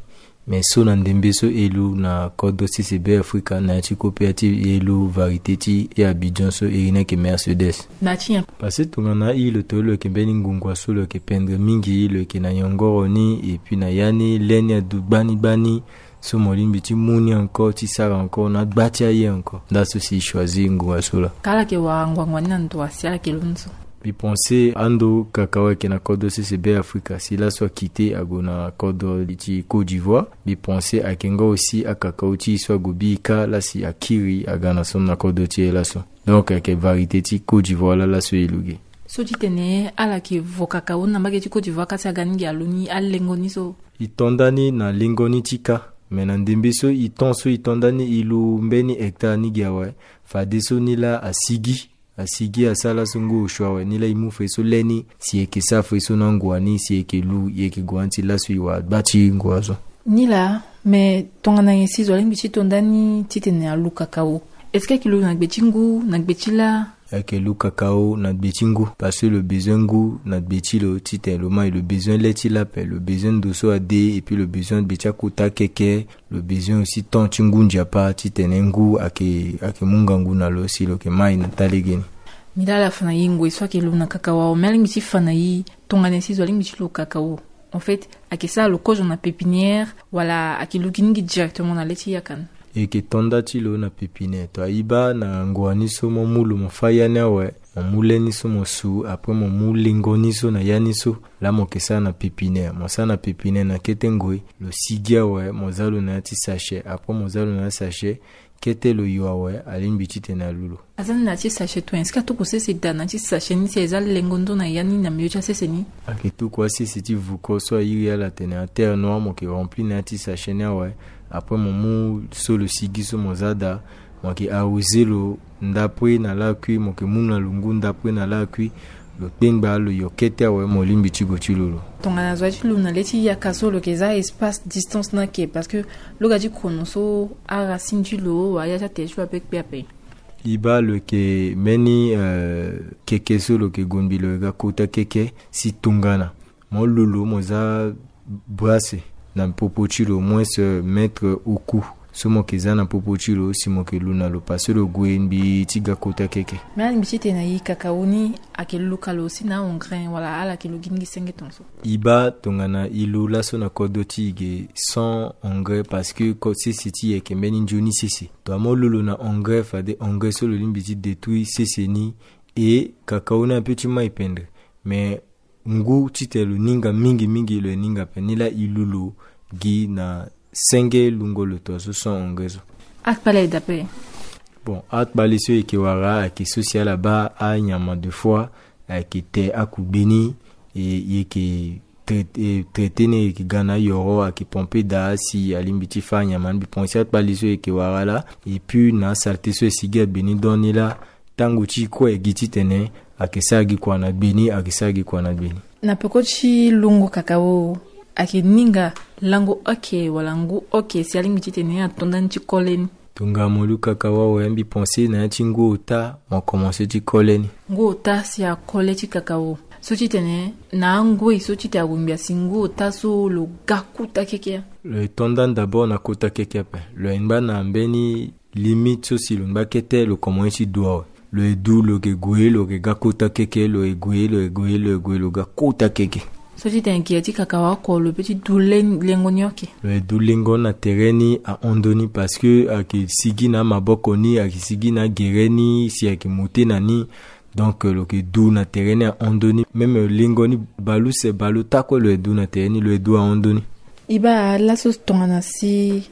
Me so na ndembe so e lu na kodro sese Beafrika, na ya ti kope ya ti e lu variété ti, ti Abidjan so iri ni ayeke Mercedes. Na ya ti nyen? Parce que tongana e lo to lo yeke mbeni ngungua so lo yeke pendre mingi, lo yeke na yongoro ni, et puis na ya ni le ni adu gbani gbani, so mo lingbi ti mu ni encore, ti sara encore na gba ti aye encore. Nda so si e choisir ngungua so laa. Ka ala yeke wara ngbangba ni na ndo wa si ala yeke londo so? Mbi pense ando kakao ayeke na kodro sese Beafrika, si laso akite ague na kodro ti Côte d'Ivoire, mbi pense ayeke nga aussi akakao ti e so ague bika laa si akiri aga na so na kodro ti e laso. Donc ayeke variété ti Côte d'Ivoire laa laso e lu ge. So titene ala yeke vo kakao na mbage ti Côte d'Ivoire ka si aga ni ge alu ni alengo ni so? E to nda ni na lengo ni ti ka. Me na ndembe so e ton so e to nda ni e lu mbeni hectare ni ge awe, fadeso ni laa asigi. Asigi asara laso ngu osio awe, ni laa e mu fade so le ni, si e yeke sara fade so na ngua ni, si e yeke lu, e yeke gue na ya ti laso e wara gba ti ngua so. Ni laa, me tongana nyen si zo alingbi ti to nda ni titene alu kakao? Est-ce que ayeke lu na gbe ti ngu, na gbe ti laa? Ayeke lu kakao na gbe ti ngu, parce que lo bezoin ngu na gbe ti lo titene lo mai, lo bezoin le ti laa ape, lo bezoin ndo so ade, et puis lo bezoin gbe ti akota keke, lo bezoin aussi temps ti ngu nzapa titene ngu ayeke, ayeke mu ngangu na lo si lo yeke mai na ta lege ni. Mbi laa ala fa na e ngoi so ayeke lu na kakao awe, me alingbi ti fa na e tongana nyen si zo alingbi ti lu kakao. En fait, ayeke sara lo kozo na pépinière, wala ayeke lu gi ni gi directement na le ti yaka ni? E yeke to nda ti lo na pépinière. To ayiba na ngua ni so mo mu lo mo fâ ya ni awe, mo mu le ni so mo su, après mo mu lengo ni so na ya ni so. Laa mo yeke sara na pépinière. Mo sara na pépinière na kete ngoi, lo sigi awe, mo za lo na ya ti sachet. Après mo za lo na ya ti sachet, kete lo yo awe, alingbi titene alu lo. Aza ni na ya ti sachet to nyen? Est-ce que atuku sese daa na ya ti sachet ni si eza lengo ndo na ya ni na milieu ti asese ni? Ayeke tuku asese ti vuko so airi ala atene aterre noire, mo yeke remplir na ya ti sachet ni awe. Après mo mu so lo sigi so mo za daa, mo yeke arroser lo ndapre na lakui, mo yeke mu na lo ngu ndapre na lakui. Lo kpengba lo yo kete awe, mo lingbi ti gue ti lu lo. Tongana zo aye ti lu na le ti yaka so lo yeke za espace distance ni ake, parce que lo ga ti kono so aracine ti lo wala ya ti atere ti lo ape kpe ape. E baa lo yeke mbeni, euh, keke so lo yeke gonda lo yeke ga kota keke, si tongana mo lu lo mo za brasse na popo ti lo, moins, euh, mètre au cou. So mo yeke za na popo ti lo si mo yeke lu na lo, parce que lo gue ngbii ti ga kota keke. Me alingbi titene na e kakao ni ayeke luka lo si na a-engrais wala ala yeke lu gi ni gi senge tongaso? E baa tongana e lu laso na kodro ti e ge sans engrais, parce que ko-, sese ti e ayeke mbeni nzoni sese. Tongana mo lu lo na engrais, fade engrais so lo lingbi ti détruire sese ni, e kakao ni ape ti mai pendre. Mais ngu titene lo ninga mingi mingi, lo yeke ninga ape. Ni laa e lu lo gi na senge lungo lo tongaso sans engrais so. Akpale aye daa ape? Bon, akpale so e yeke wara ayeke so si ala baa anyama de fois, ayeke te akugbe ni, e, e yeke traite, e, traite ni, e yeke ga na ayoro, ayeke pompe daa si alingbi ti fâ anyama ni. Mbi pense akpale so e yeke wara laa. Et puis na asalte so e sigi agbe ni donc ni laa, tango ti e kue e gi titene ayeke sara gi kua na gbe ni, ayeke sara gi kua na gbe ni. Na peko ti lungo kakao, ayeke ninga lango oke wala ngu oke si alingbi titene ato ndani ti kole ni? Tongana mo lu kakao awe, mbi pense na ya ti ngu ota mo komanse ti kole ni. Ngu ota si akole ti kakao. So titene na angoi so titene ague ngbii asi ngu ota so lo ga kota keke. Lo ye to ndani d'abord na kota keke ape. Lo ye ngba na mbeni limite so si lo ngba kete lo komanse ti du awe. Lo ye du, lo yeke gue, lo yeke ga kota keke, lo ye gue, lo ye gue, lo ye gue, lo ga kota keke. So ti tene gere ti kakao oko lo peut ti du lengo ni oke. Lo ye du lengo na tere ni ahon ndoni parce que ayeke sigi na amaboko ni, ayeke sigi na agere ni si ayeke mute na ni. Donc lo yeke du na tere ni ahon ndoni. Même lengo ni baleuse baleota kue lo ye du na tere ni, lo ye du ahon ndoni. E baa laso tongana si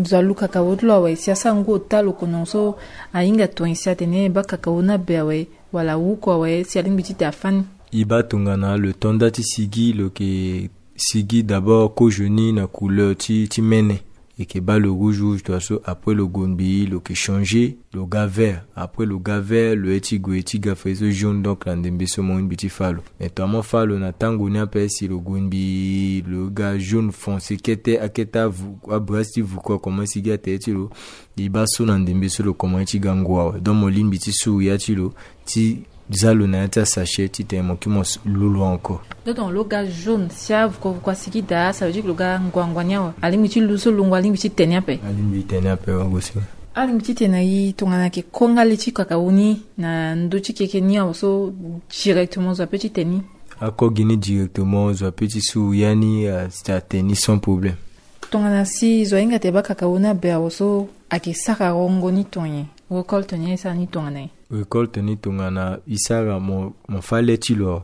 zo alu kakao ti lo awe si asara ngu ota lo kono so ahinga tonga si atene e baa kakao ni abe awe wala awuku awe si alingbi ti tene afâ ni. E baa tongana lo to nda ti sigi lo yeke sigi d'abord kozo ni na couleur ti ti mene. E yeke baa lo rouge rouge tongaso, après lo gue ngbii lo yeke changer lo ga vert. Après lo ga vert lo ye ti gue ti ga fade so jaune, donc na ndembe so mo lingbi ti fâ lo. Mais tonga mo fâ lo na tango ni ape si lo gue ngbii lo ga jaune foncé kete akete avu abrasi ti vuku akomanse gi atere ti lo. E baa so na ndembe so lo komanse ti ga ngu awe, donc mo lingbi ti suru ya ti lo ti za lo na ya ti asachet titene mo kiri mo lu lo encore. Donc lo ga jaune si avuko vuko asigi daa, ça veut dire que lo ga nguangua ni awe. Alingbi ti lu so lungo alingbi ti tene ape. Alingbi ti tene ape wa gosi. Alingbi ti tene na e tongana ayeke ko nga le ti kakao ni na ndö ti keke ni awe so directement zo ape ti tene ni. Ako gi ni directement zo ape ti suru ya ni, euh, atene ni sans problème. Tongana si zo ahinga tene e baa kakao ni abe awe so ayeke sara rongo ni tonga nyen? Récolte ni e sara ni tongana nyen? Récolte ni tongana e sara mo, mo fâ le ti lo,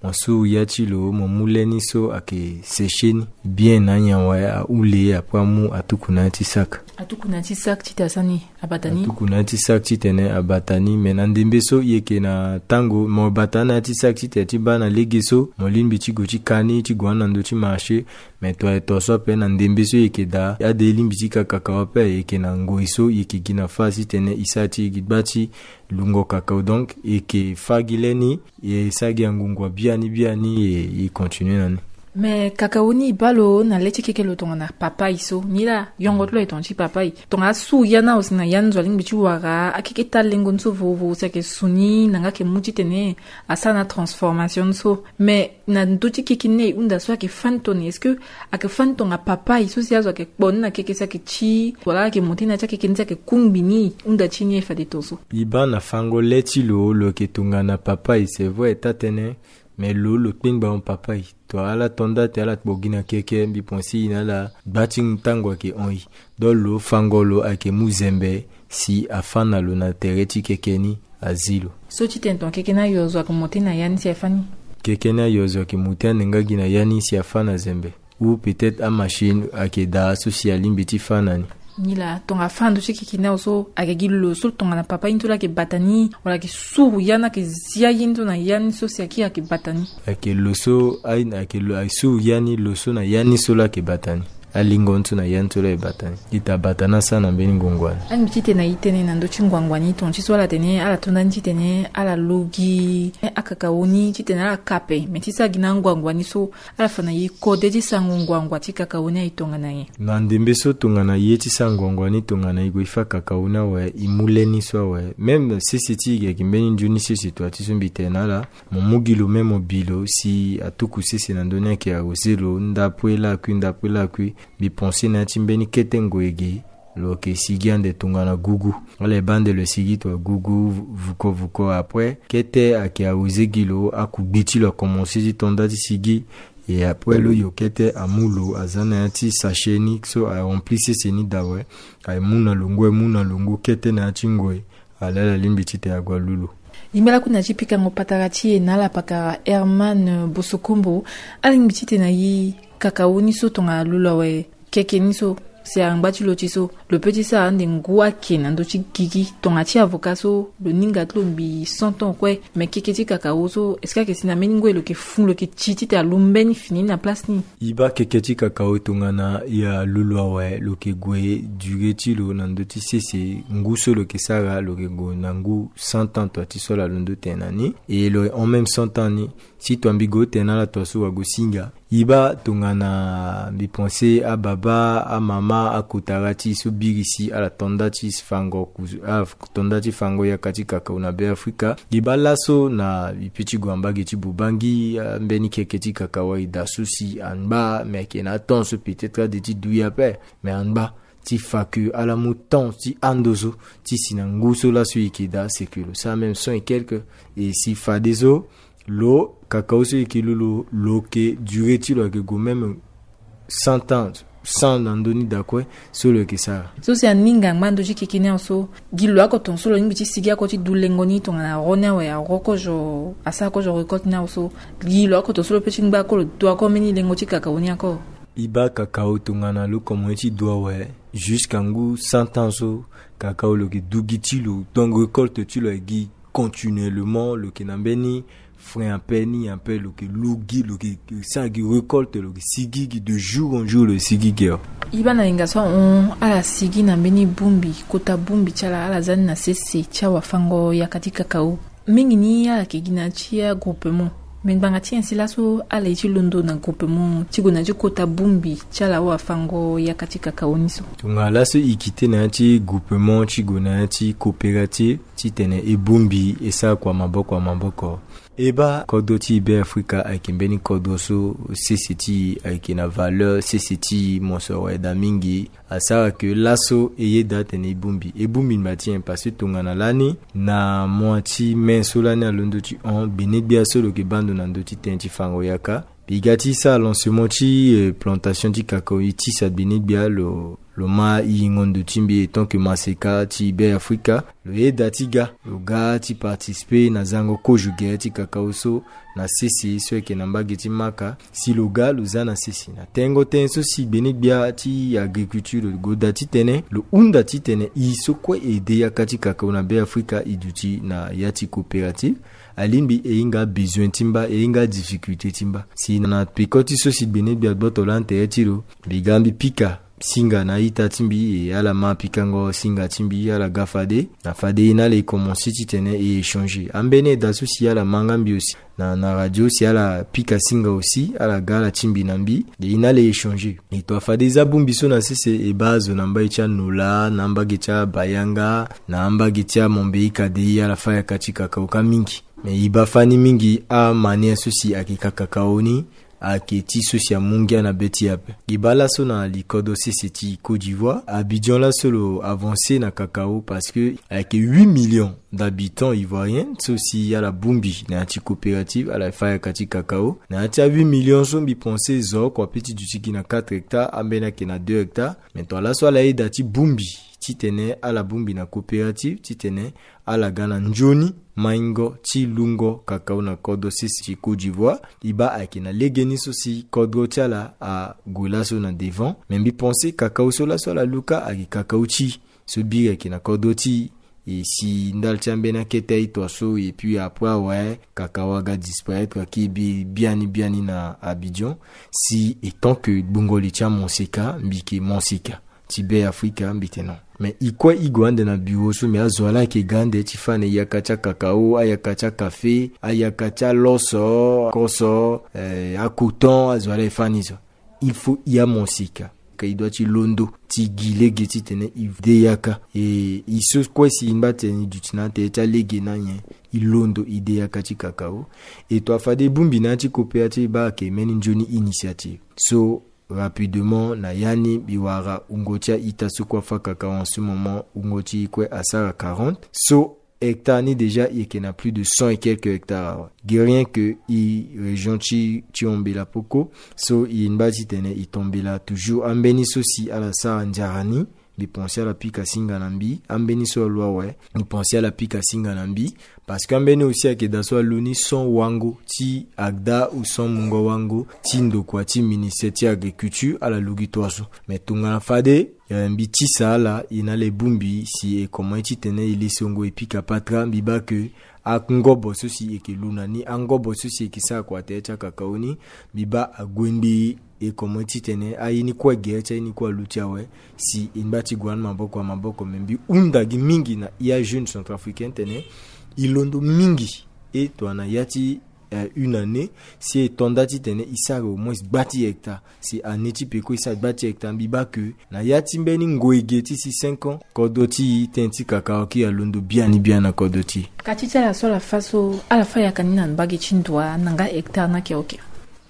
mo suru ya ti lo, mo mu le ni so ayeke sécher ni bien na anyen awe, ahule, après amu atuku na ya ti sac. Atuku na ya ti sac titene asara ni, abata ni? Atuku na ya ti sac titene abata ni. Mais na ndembe so e yeke na tango mo bata na ya ti sac titene ti baa na lege so mo lingbi ti gue ti ka ni ti gue na ndö ti marché. Mais to aye to so ape na ndembe so e yeke daa, ade e lingbi ti ka kakao ape, e yeke na ngoi so e yeke gi na fâ titene e sara ti e gi gba ti lungo kakao. Donc e yeke fâ gi le ni, e sara gi angungua biani biani, e, e continue na ni. Mais kakao ni e baa lo na le ti keke lo tongana papaye so, nilaa yongo ti lo aye tongana ti papaye. Tongana asuru ya ni awe si na ya ni zo alingbi ti wara akeke ti alengo ni so vovoro si ayeke su ni na nga ayeke mu titene asara na transformation ni so. Mais na ndö ti keke ni e hunda so ayeke fâ ni tongana nyen? Est-ce que ayeke fâ ni tongana papaye so si azo ayeke kpo ni na keke si ayeke ti wala ayeke monté na ya ti akeke ni si ayeke kungbi ni? Hunda ti ni e fade tongaso. E baa na fango le ti lo, lo yeke tongana papaye, c'est vrai, taa-tënë. Mais lo, lo kpengba hon papaye. To ala to nda ti ala kpo gi na keke, mbi pense e na ala gba ti tango ayeke hon e. Donc lo fango lo ayeke mu zembe si afâ na lo na tere ti keke ni, azi lo. So titene tongana keke ni ayo zo ayeke monté na ya ni si afâ ni? Keke ni ayo zo ayeke monté ande nga gi na ya ni si afâ na zembe. Ou peut-être amachine ayeke daa so si alingbi ti fâ na ni. Nilaa tongana afâ na ndö ti keke ni awe so ayeke gi lo so tongana papaye ni so laa ayeke bata ni, wala ayeke suru ya ni, ayeke zia ye ni so na ya ni so si akiri ayeke bata ni? Ayeke lo so, aye, ayeke lo, ayeke suru ya ni, lo so na ya ni so laa ayeke bata ni. Alingo ni so na ya ni so laa ayeke bata ni. Ita bata ni asara na mbeni ngongo ani. Alingbi titene na e tene na ndö ti nguangua ni, tongana ti so ala tene, ala to nda ni titene ala lu gi akakao ni titene ala ka ape. Me ti sara gi na anguangua ni so, ala fa na e kode ti sarango nguangua ti kakao ni aye tongana nyen? Na ndembe so tongana e ye ti sara nguangua ni tongana e gue ti fâ kakao ni awe, e mu le ni so awe. Même sese ti e gi ayeke mbeni nzoni sese, tua ti so mbi tene na ala, mo mu gi lo même mo bi lo si atuku sese na ndö ni ayeke arrosé lo, ndapo e lakui, ndapo e lakui. Mbi pense na ya ti mbeni kete ngoi ge, lo yeke sigi ande tongana gugu. Ala ye baa ande lo sigi tongana gugu, vu-, vuko vuko. Après kete ayeke arrosé gi lo, akugbe ti lo akomanse ti to nda ti sigi. Et après lo yo kete amu lo, aza na ya ti sachet ni so arempli sese ni daa awe. Aye mu na lo ngu, aye mu na lo ngu, kete na ya ti ngoi, ala, ala lingbi titene ague alu lo. Yingbala kue na ti pikango patara ti e na ala pakara Herman Bosokombo. Alingbi titene na e kakao ni so tongana alu lo awe, keke ni so si angba ti lo ti so, lo peut ti sara ande ngu ayeke na ndö ti gigi. Tongana ti avocat so lo ninga ti lo ngbii cent ans kue. Me keke ti kakao so, est-ce que ayeke si na mbeni ngu lo yeke fun, lo yeke ti titene alu mbeni fini na place ni? E baa keke ti kakao tongana e alu lo awe, lo yeke gue durée ti lo na ndö ti sese ngu so lo yeke sara, lo yeke gue na ngu cent ans, tua ti so ala londo tene na ni. Et lo en même cent ans ni, si tua mbi gue tene na ala tua so wa gue singa. E baa tongana mbi pense ababa, amama, akotara ti e so biri si ala to nda ti fango ku-, ala to nda ti fango yaka ti kakao na Beafrika. E baa laso na e peut ti gue na mbage ti Bubangi, ah, mbeni keke ti kakao aye daa so si angba, me ayeke na atemps so peut-être ade ti du e ape, me angba ti fa que ala mu temps ti ando so ti si na ngu so laso e yeke daa, c'est que lo sara même cent et quelques. Et si fadeso Lo kakao so e yeke lu lo, lo yeke durée ti lo ayeke gue même cent ans, cent na ndö ni daa kue. So lo yeke sara so si aninga angba ndö ti keke ni awe so, gi lo oko tongaso lo lingbi ti sigi oko ti du lengo ni tongana aro ni awe, aro kozo asara kozo récolte ni awe so, gi lo oko tongaso lo pe ti ngba oko lo du oko mbeni lengo ti kakao ni oko. E baa kakao tongana lo komanse ti du awe, jusqu'à ngu cent ans so, kakao lo yeke du gi ti lo, donc récolte ti lo aye gi continuellement, lo yeke na mbeni frein ape ni ape, lo yeke lu gi, lo yeke sara gi récolte, lo yeke sigi gi de jour en jour, lo yeke sigi gi awe. E baa na yanga so ahon ala sigi na mbeni bongbi, kota bongbi ti ala, ala za ni na sese ti awafango yaka ti kakao. Mingi ni ala yeke gi na ya ti agroupement. Me ngbanga ti nyen si laso ala ye ti londo na groupement ti gue na ya ti kota bongbi ti ala awafango yaka ti kakao ni so? Tongana laso e kite na ya ti groupement ti gue na ya ti coopérative titene e bongbi e sara kua maboko na maboko. E baa kodro ti Beafrika ayeke mbeni kodro so sese ti e ayeke na valeur, sese ti e mosoro awe daa mingi. Asara ke laso e yeda atene e bongbi, e bongbi ngba ti nyen? Parce que tongana lani na mois ti mai so lani alondo ti hon, gbenegbia so lo yeke baa ndo na ndö ti tënë ti fango yaka, mbi ga ti sara lancement ti, eh, plantation ti kakao, e tisa gbenegbia lo, lo ma e yingo ndo ti mbi en tant que maseka ti Beafrika. Lo yeda ti ga, lo ga ti participer na zango kozo gere ti kakao so na sese so ayeke na mbage ti Maka. Si lo ga lo za na sese na tengo tënë so si gbenegbia ti agriculture lo goda titene lo hunda titene e so kue e de yaka ti kakao na Beafrika e duti na ya ti coopérative. Alingbi e hinga besoin ti mba, e hinga difficulté ti mba. Si na peko ti so si gbenegbia gboto lani tere ti lo, mbi ga mbi pika singa na a-ita ti mbi, e ala ma pikango singa ti mbi, ala ga fade. Na fade e na ala e komanse titene e échanger. Ambeni eda so si ala ma nga mbi aussi na, na radio, si ala pika singa aussi, ala ga ala ti mbi na mbi, e na ala e échanger. E to afade e za bongbi so na sese, e baa azo na mbage ti Anola, na mbage ti Abayanga, na mbage ti Amombeyika de, ala fâ yaka ti kakao ka mingi. Me e baa fani mingi amanière so si ayeke ka kakao ni, ayeke ti so si amu ngia na be ti e ape. E baa laso na li kodro sese ti Côte d'Ivoire, Abidjan laso lo avancer na kakao parce que ayeke huit millions d'habitants ivoiriens so si ala bongbi na ya ti coopérative, ala fâ yaka ti kakao. Na ya ti a huit millions so mbi pense zo oko ape ti duti gi na quatre hectares, ambeni ayeke na deux hectares. Me tongana laso ala yeda ti bongbi titene ala bongbi na coopérative titene ala ga na nzoni maingo ti lungo kakao na kodro sese ti Côte d'Ivoire. E baa ayeke na legeni so si kodro ti ala ague laso na devant. Me mbi pense kakao so laso ala lu ka ayeke kakao ti e so biri ayeke na kodro ti e. E si ndali ti ambeni akete aye toa so, et puis après awe kakao aga disparaître, ayeke bi-, biani biani na Abidjan. Si e tant que gbungo li ti amonseka, mbi yeke monseka ti Beafrika, mbi tene non. Me e kue e gue ande na bureau so, me azo wa laa ayeke ga ande ti fâ na e yaka ti akakao, ayaka ti akafe, ayaka ti aloso, koso, eh, acoton, azo wa laa e fâ ni so. Il faut e amonseka. Ka e doit ti londo ti gi lege titene e de yaka. E, e so kue si e ngba tene e duti na tere ti alege na nyen, e londo e de yaka ti kakao. E to afade e bongbi na ya ti coopérative, e baa ayeke mbeni nzoni initiative. So, rapidement, na ya ni mbi wara wungo ti a-ita so kue afâ kakao en ce moment, wungo ti e kue asara quarante. So, hectare ni déjà e yeke na plus de cent et quelques hectares awe. Gi rien que e région ti, ti Hombela poko. So e ngba titene e tombela toujours ambeni so si ala sara nzara ni. Mbi pense ala pika singa na mbi. Ambeni so alu awe, mbi pense ala pika singa na mbi. Parce que ambeni aussi ayeke daa so alu ni cent wango ti agda ou cent mungo wango ti ndokua ti ministère ti agriculture, ala lu gi toa so. Me tongana fade, eh, mbi tisa ala, e na ala e bongbi si e komanse titene e lesongo e pika patara, mbi baa ke angobo so si e yeke lu na ni, angobo so si e yeke sara kua tere ti akakao ni, mbi baa ague mbi e komanse titene aye ni kue gere ti aye ni kue aluti awe. Si e ngba ti gue na ni maboko na maboko, me mbi hunda gi mingi na e ajeune centrafricain titene e londo mingi. E tongana ya ti, eh, une année, si e to nda titene e sara au moins gba ti hectare. Si année ti peko e sara gba ti hectare, mbi baa ke na ya ti mbeni ngoi ge ti si cinq ans, kodro ti e, tënë ti kakao ayeke alondo biani biani na kodro ti e. Kati ti ala so ala fâ so, ala fâ yaka ni na mbage ti ndua na nga hectare ni ayeke oke?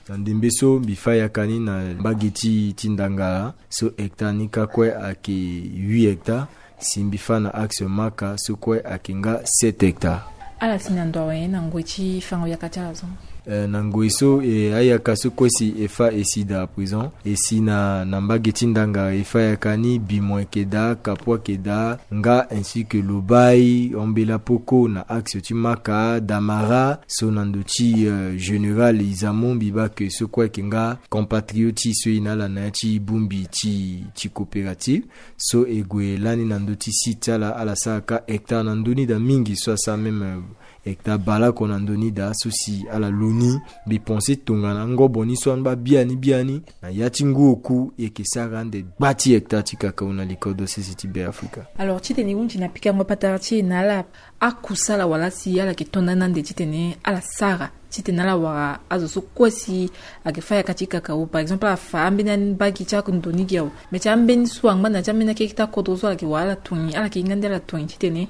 Na ndembe so mbi fâ yaka ni na mbage ti, ti Ndangala, so hectare ni ka kue ayeke huit hectares. Si mbi fâ na axe Maka, so kue ayeke nga sept hectares. Ala si na ndo awe na ngoi ti fango yaka ti ala so. Eh, na ngoi so, eh, ayaka so kue si e fa e si daa à présent, e si na, na mbage ti ndanga e fa yaka ni, Bimon ayeke daa, Kapua ayeke daa, nga ainsi que Lobaye, Ambela Poko na axe ti Maka, Damara so na ndo ti, eh, général Izamo, mbi baa ke so kue ayeke nga compatriote so e na ala na ya ti bongbi ti, ti coopérative. So e gue lani na ndö ti site ti ala, ala sara ka hectare na ndö ni daa mingi, so asara même, euh, hectare baleoko na ndö ni daa, so si ala lo ni. Mbi pense tongana ngobo ni so amba biani biani, na ya ti ngu oku e yeke sara ande gba ti hectare ti kakao na li kodro sese ti Beafrika. Alors titene e hunzi na pikango patara ti e na ala, akusala wala si ala yeke to ndani ande titene ala sara titene ala wara azo so kue si ayeke fa yaka ti kakao, par exemple ala fa ambeni mbage ti ando ni gi awe. Me ti ambeni so angba na ya ti ambeni akeke ti akodro so ala yeke wara ala tongi, ala yeke hinga nde ala tongi titene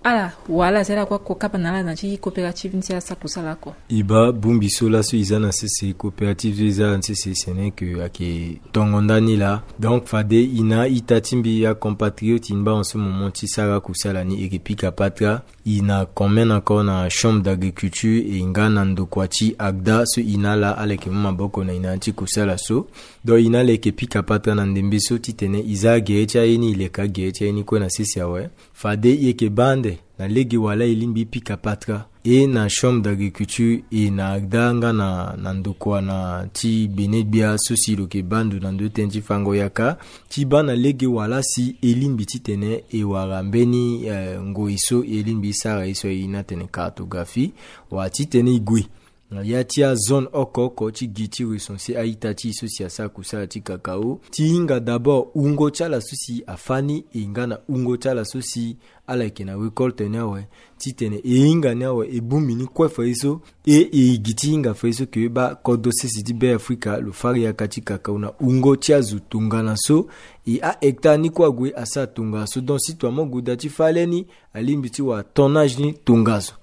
ala wara ala si ala kue ako kapa na ala na ya ti coopérative ni si ala sara kusala oko. E baa bongbi so laso e za na sese, coopérative so e za na sese, ce n'est que ayeke tongo ndani laa. Donc fade e na a-ita ti mbi, acompatriote, e ngba en ce moment ti sara kusala ni, e yeke pika patara. E na commun encore na chambre d'agriculture, e nga na ndokua ti ACDA so e na ala, ala yeke mu maboko na e na ya ti kusala so. Donc e na ala e yeke pika patara na ndembe so titene e za agere ti aye ni, e leke agere ti aye ni kue na sese awe. Fade e yeke baa ande na lege wala e lingbi e pika patara, e na chambre d'agriculture, e na ACDA nga na, na ndokua na ti bene gbia so si lo yeke baa ndo na ndö ti tënë ti fango yaka, ti baa na lege wala si e lingbi titene e wara mbeni, eh, ngoi so e lingbi e sara ye so airi ni atene cartographie, wala titene e gue na ya ti azone oko oko ti gi ti recenser a-ita ti e so si asara kusala ti kakao, ti hinga d'abord wungo ti ala so si afâ ni, e nga na wungo ti ala so si ala yeke na récolte ni awe, titene e hinga ni awe, e bongbi ni kue fadeso, e, e gi ti hinga fadeso ke e baa kodro sese ti Beafrika lo fâ yaka ti kakao na wungo ti azo tongana so. E ahectare ni kue ague asara tongaso, donc si tongana mo gue daa ti fâ le ni, alingbi ti wara tonnage ni tongaso.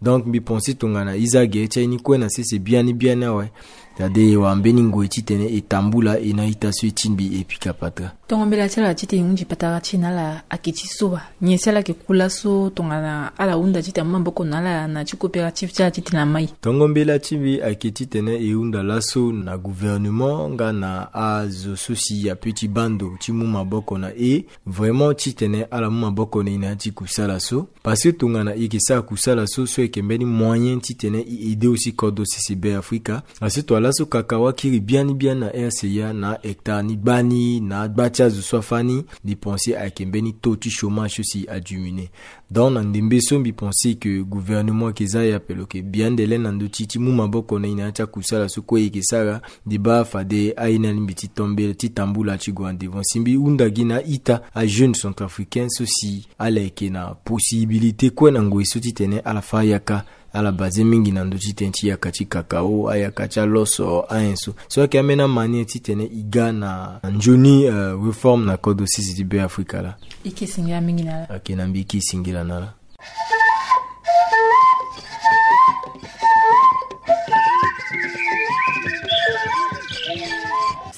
Donc mbi pense tongana e za gere ti aye ni kue na sese biani biani awe. Tade e wara mbeni ngoi titene e tambula e na a-ita so e ti mbi e pika patara. Tongo mbela ti ala titene e hunzi patara ti e na ala ayeke ti so wa? Nyen si ala yeke ku laso tongana ala hunda titene amu maboko na ala na ya ti coopérative ti ala titene amai? Tongo mbela ti mbi ayeke titene e hunda laso na gouvernement nga na azo so si ape ti baa ndo ti mu maboko na e, vraiment titene ala mu maboko na e na ya ti kusala so. Parce que tongana e yeke sara kusala so, so ayeke mbeni moyen titene e aider aussi kodro sese Beafrika. Parce que tongana laso kakao akiri biani biani na R C A na ahectare ni gbani na agba ti azo so afâ ni, mbi pense ayeke mbeni taux ti chômage so si adiminuer. Donc na ndembe so mbi pense que gouvernement ayeke za ya pe lo yeke bi ande le na ndö ti, ti mu maboko na e na ya ti akusala so kue e yeke sara. Nde baa fade aye ni alingbi ti tombela ti tambula ti gue en devant si mbi hunda gi na a-ita, ajeune centrafricain so si ala yeke na possibilité kue na ngoi so titene ala fâ yaka. Ala basé mingi na ndö ti tënë ti yaka ti kakao, ayaka ti aloso, ayen so. So ayeke ambeni amanière titene e ga na nzoni, euh, réforme na kodro sese ti Beafrika laa. E ke singila mingi na ala. Ayeke na mbi e ke singila na ala.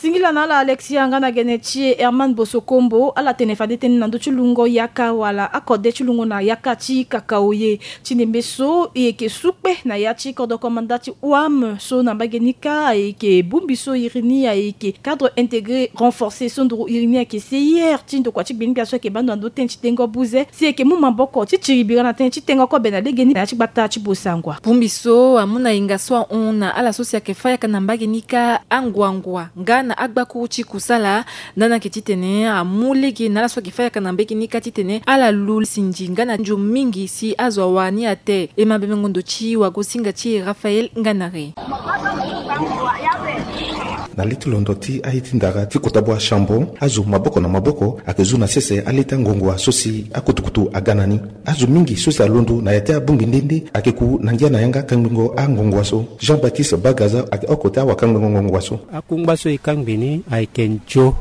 Singila na ala Alexia nga na gene ti e Herman Bosokombo. Ala tene fade tënë na ndö ti lungo yaka wala akode ti lungo na yaka ti kakao ye. Ti ndembe so e yeke su kpe na ya ti kodro komanda ti O A M so na mbage ni kâ, e yeke bongbi so iri ni ayeke cadre intégré renforcé so nduru iri ni ayeke C I R ti ndokua ti gbengbia so ayeke baa ndo na ndö tënë ti tengo buze. Si e yeke mu maboko ti tiri bira na tënë ti tengo kobe na legeni na ya ti gbata ti Bossangoa. Bongbi so amu na hinga so ahon na ala so si ayeke fâ yaka na mbage ni kâ, anguangua nga na agbakuru ti kusala. Ndani ayeke titene amu lege na ala so ayeke fâ yaka na mbage ni kâ titene ala lu sinzi nga na nzo mingi si azo awara ni ate. E ma bebengo ndo ti wagosinga ti e Raphaël Nganare. Na li ti londo ti aye ti ndara ti kota bua chambon, azo maboko na maboko ayeke zu na sese alê ti angongua so si akutukutu aga na ni. Azo mingi so si alondo na ya ti abongbi nde nde ayeke ku na ngia na yanga kangbengo angongua so. Jean-Baptiste Bagaza ayeke oko ti awakangbengo ngongua so. Akungba so e kangbi ni ayeke nzo,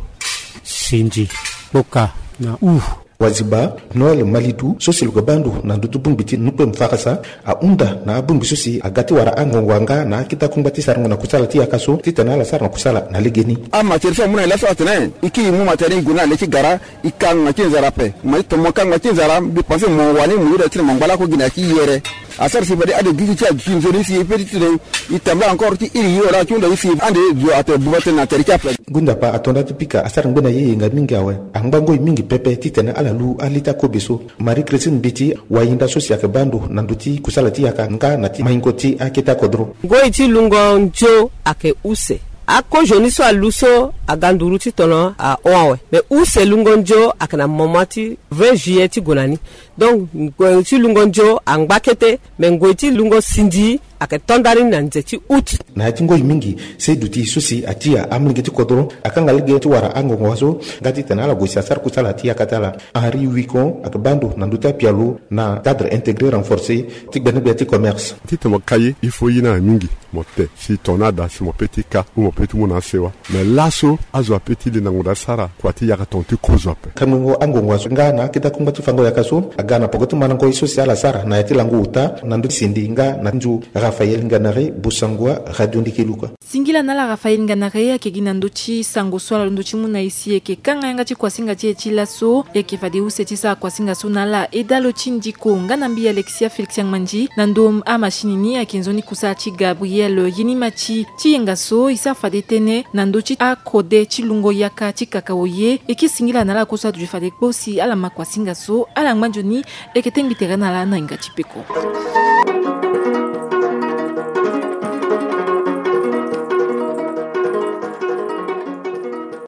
sinzi, kpoka na u. Waziba Noël Malidu so si lo yeke baa ndo na ndö ti bongbi ti Nukpe Mfarasa ahunda na abongbi so si aga ti wara angongua nga na akete akungba ti sarango na kusala ti yaka so titene ala sara na kusala na legeni. Amatière so amu na e laso atene e kiri mu matière ni gue na le ti gara, e kangba ti nzara ape. Mo ye tomo kangba ti nzara, mbi pense mo wani mo yeda titene mo ngba lakue gi na ya ti yere. Asara si fade ade gi ti ti aduti nzoni si e pe ti tene e tambula encore ti iri ye wala ti hunda ye si ande zo atene buba tënë na tere ti ape. Gundapa ato nda ti pika asara ngbe na ye yenga mingi awe. Angba ngoi mingi pepe titene ala lu ali ti akobe so. Marie Christine Mbiti, wayinda so si ayeke baa ndo na ndö ti kusala ti yaka nga na ti maingo ti akete akodro. Ngoi ti lungo nzio ayeke use. Akozoni so alu so aga nduru ti tono ahon awe. Me use lungo nzio ayeke na moment ti vingt juillet ti gue na ni. Donc ngoi ti lungo nzio angba kete, me ngoi ti lungo sindi ayeke to ndani na nze ti août. Na ya ti ngoi mingi, se duti so si atia amolenge ti kodro akanga lege ti wara angongo so nga titene ala gue si asara kusala ti yaka ti ala. Henri Wicon ayeke baa ndo na ndö ti apialo na cadre intégré renforcé ti gbenegbia ti commerce. Titene mo ka ye, il faut ye ni awe mingi. Mo te si ton ni ada si mo pe ti ka ou mo pe ti mu na asewa. Me laso azo ape ti linda ngonda asara kua ti yaka ton ti kozo ape. Kangbingo angongo aso nga na akete akungba ti fango yaka so aga na poko ti mandango ye so si ala sara na ya ti lango ota na ndö ti sindi nga na nzu. Raphaël Nganare, Bossangoa, Radio Ndeke Luka. Singila na ala Raphaël Nganare ayeke gi na ndö ti sango so ala londo ti mu na e si e yeke kanga yanga ti kuasinga ti e ti laso. E yeke fade use ti sara kuasinga so na ala Edalo ti Ndiko nga na mbi Alexia Félix Angmandi. Na ndö amachine ni ayeke nzoni kusala ti Gabriel Yenimati. Ti yenga so e sara fade tënë na ndö ti akode ti lungo yaka ti kakao ye. E ke singila na ala kue so aduti fade kpo si ala ma kuasinga so ala ngba nzoni. E yeke tengbi tere na ala na hinga ti peko.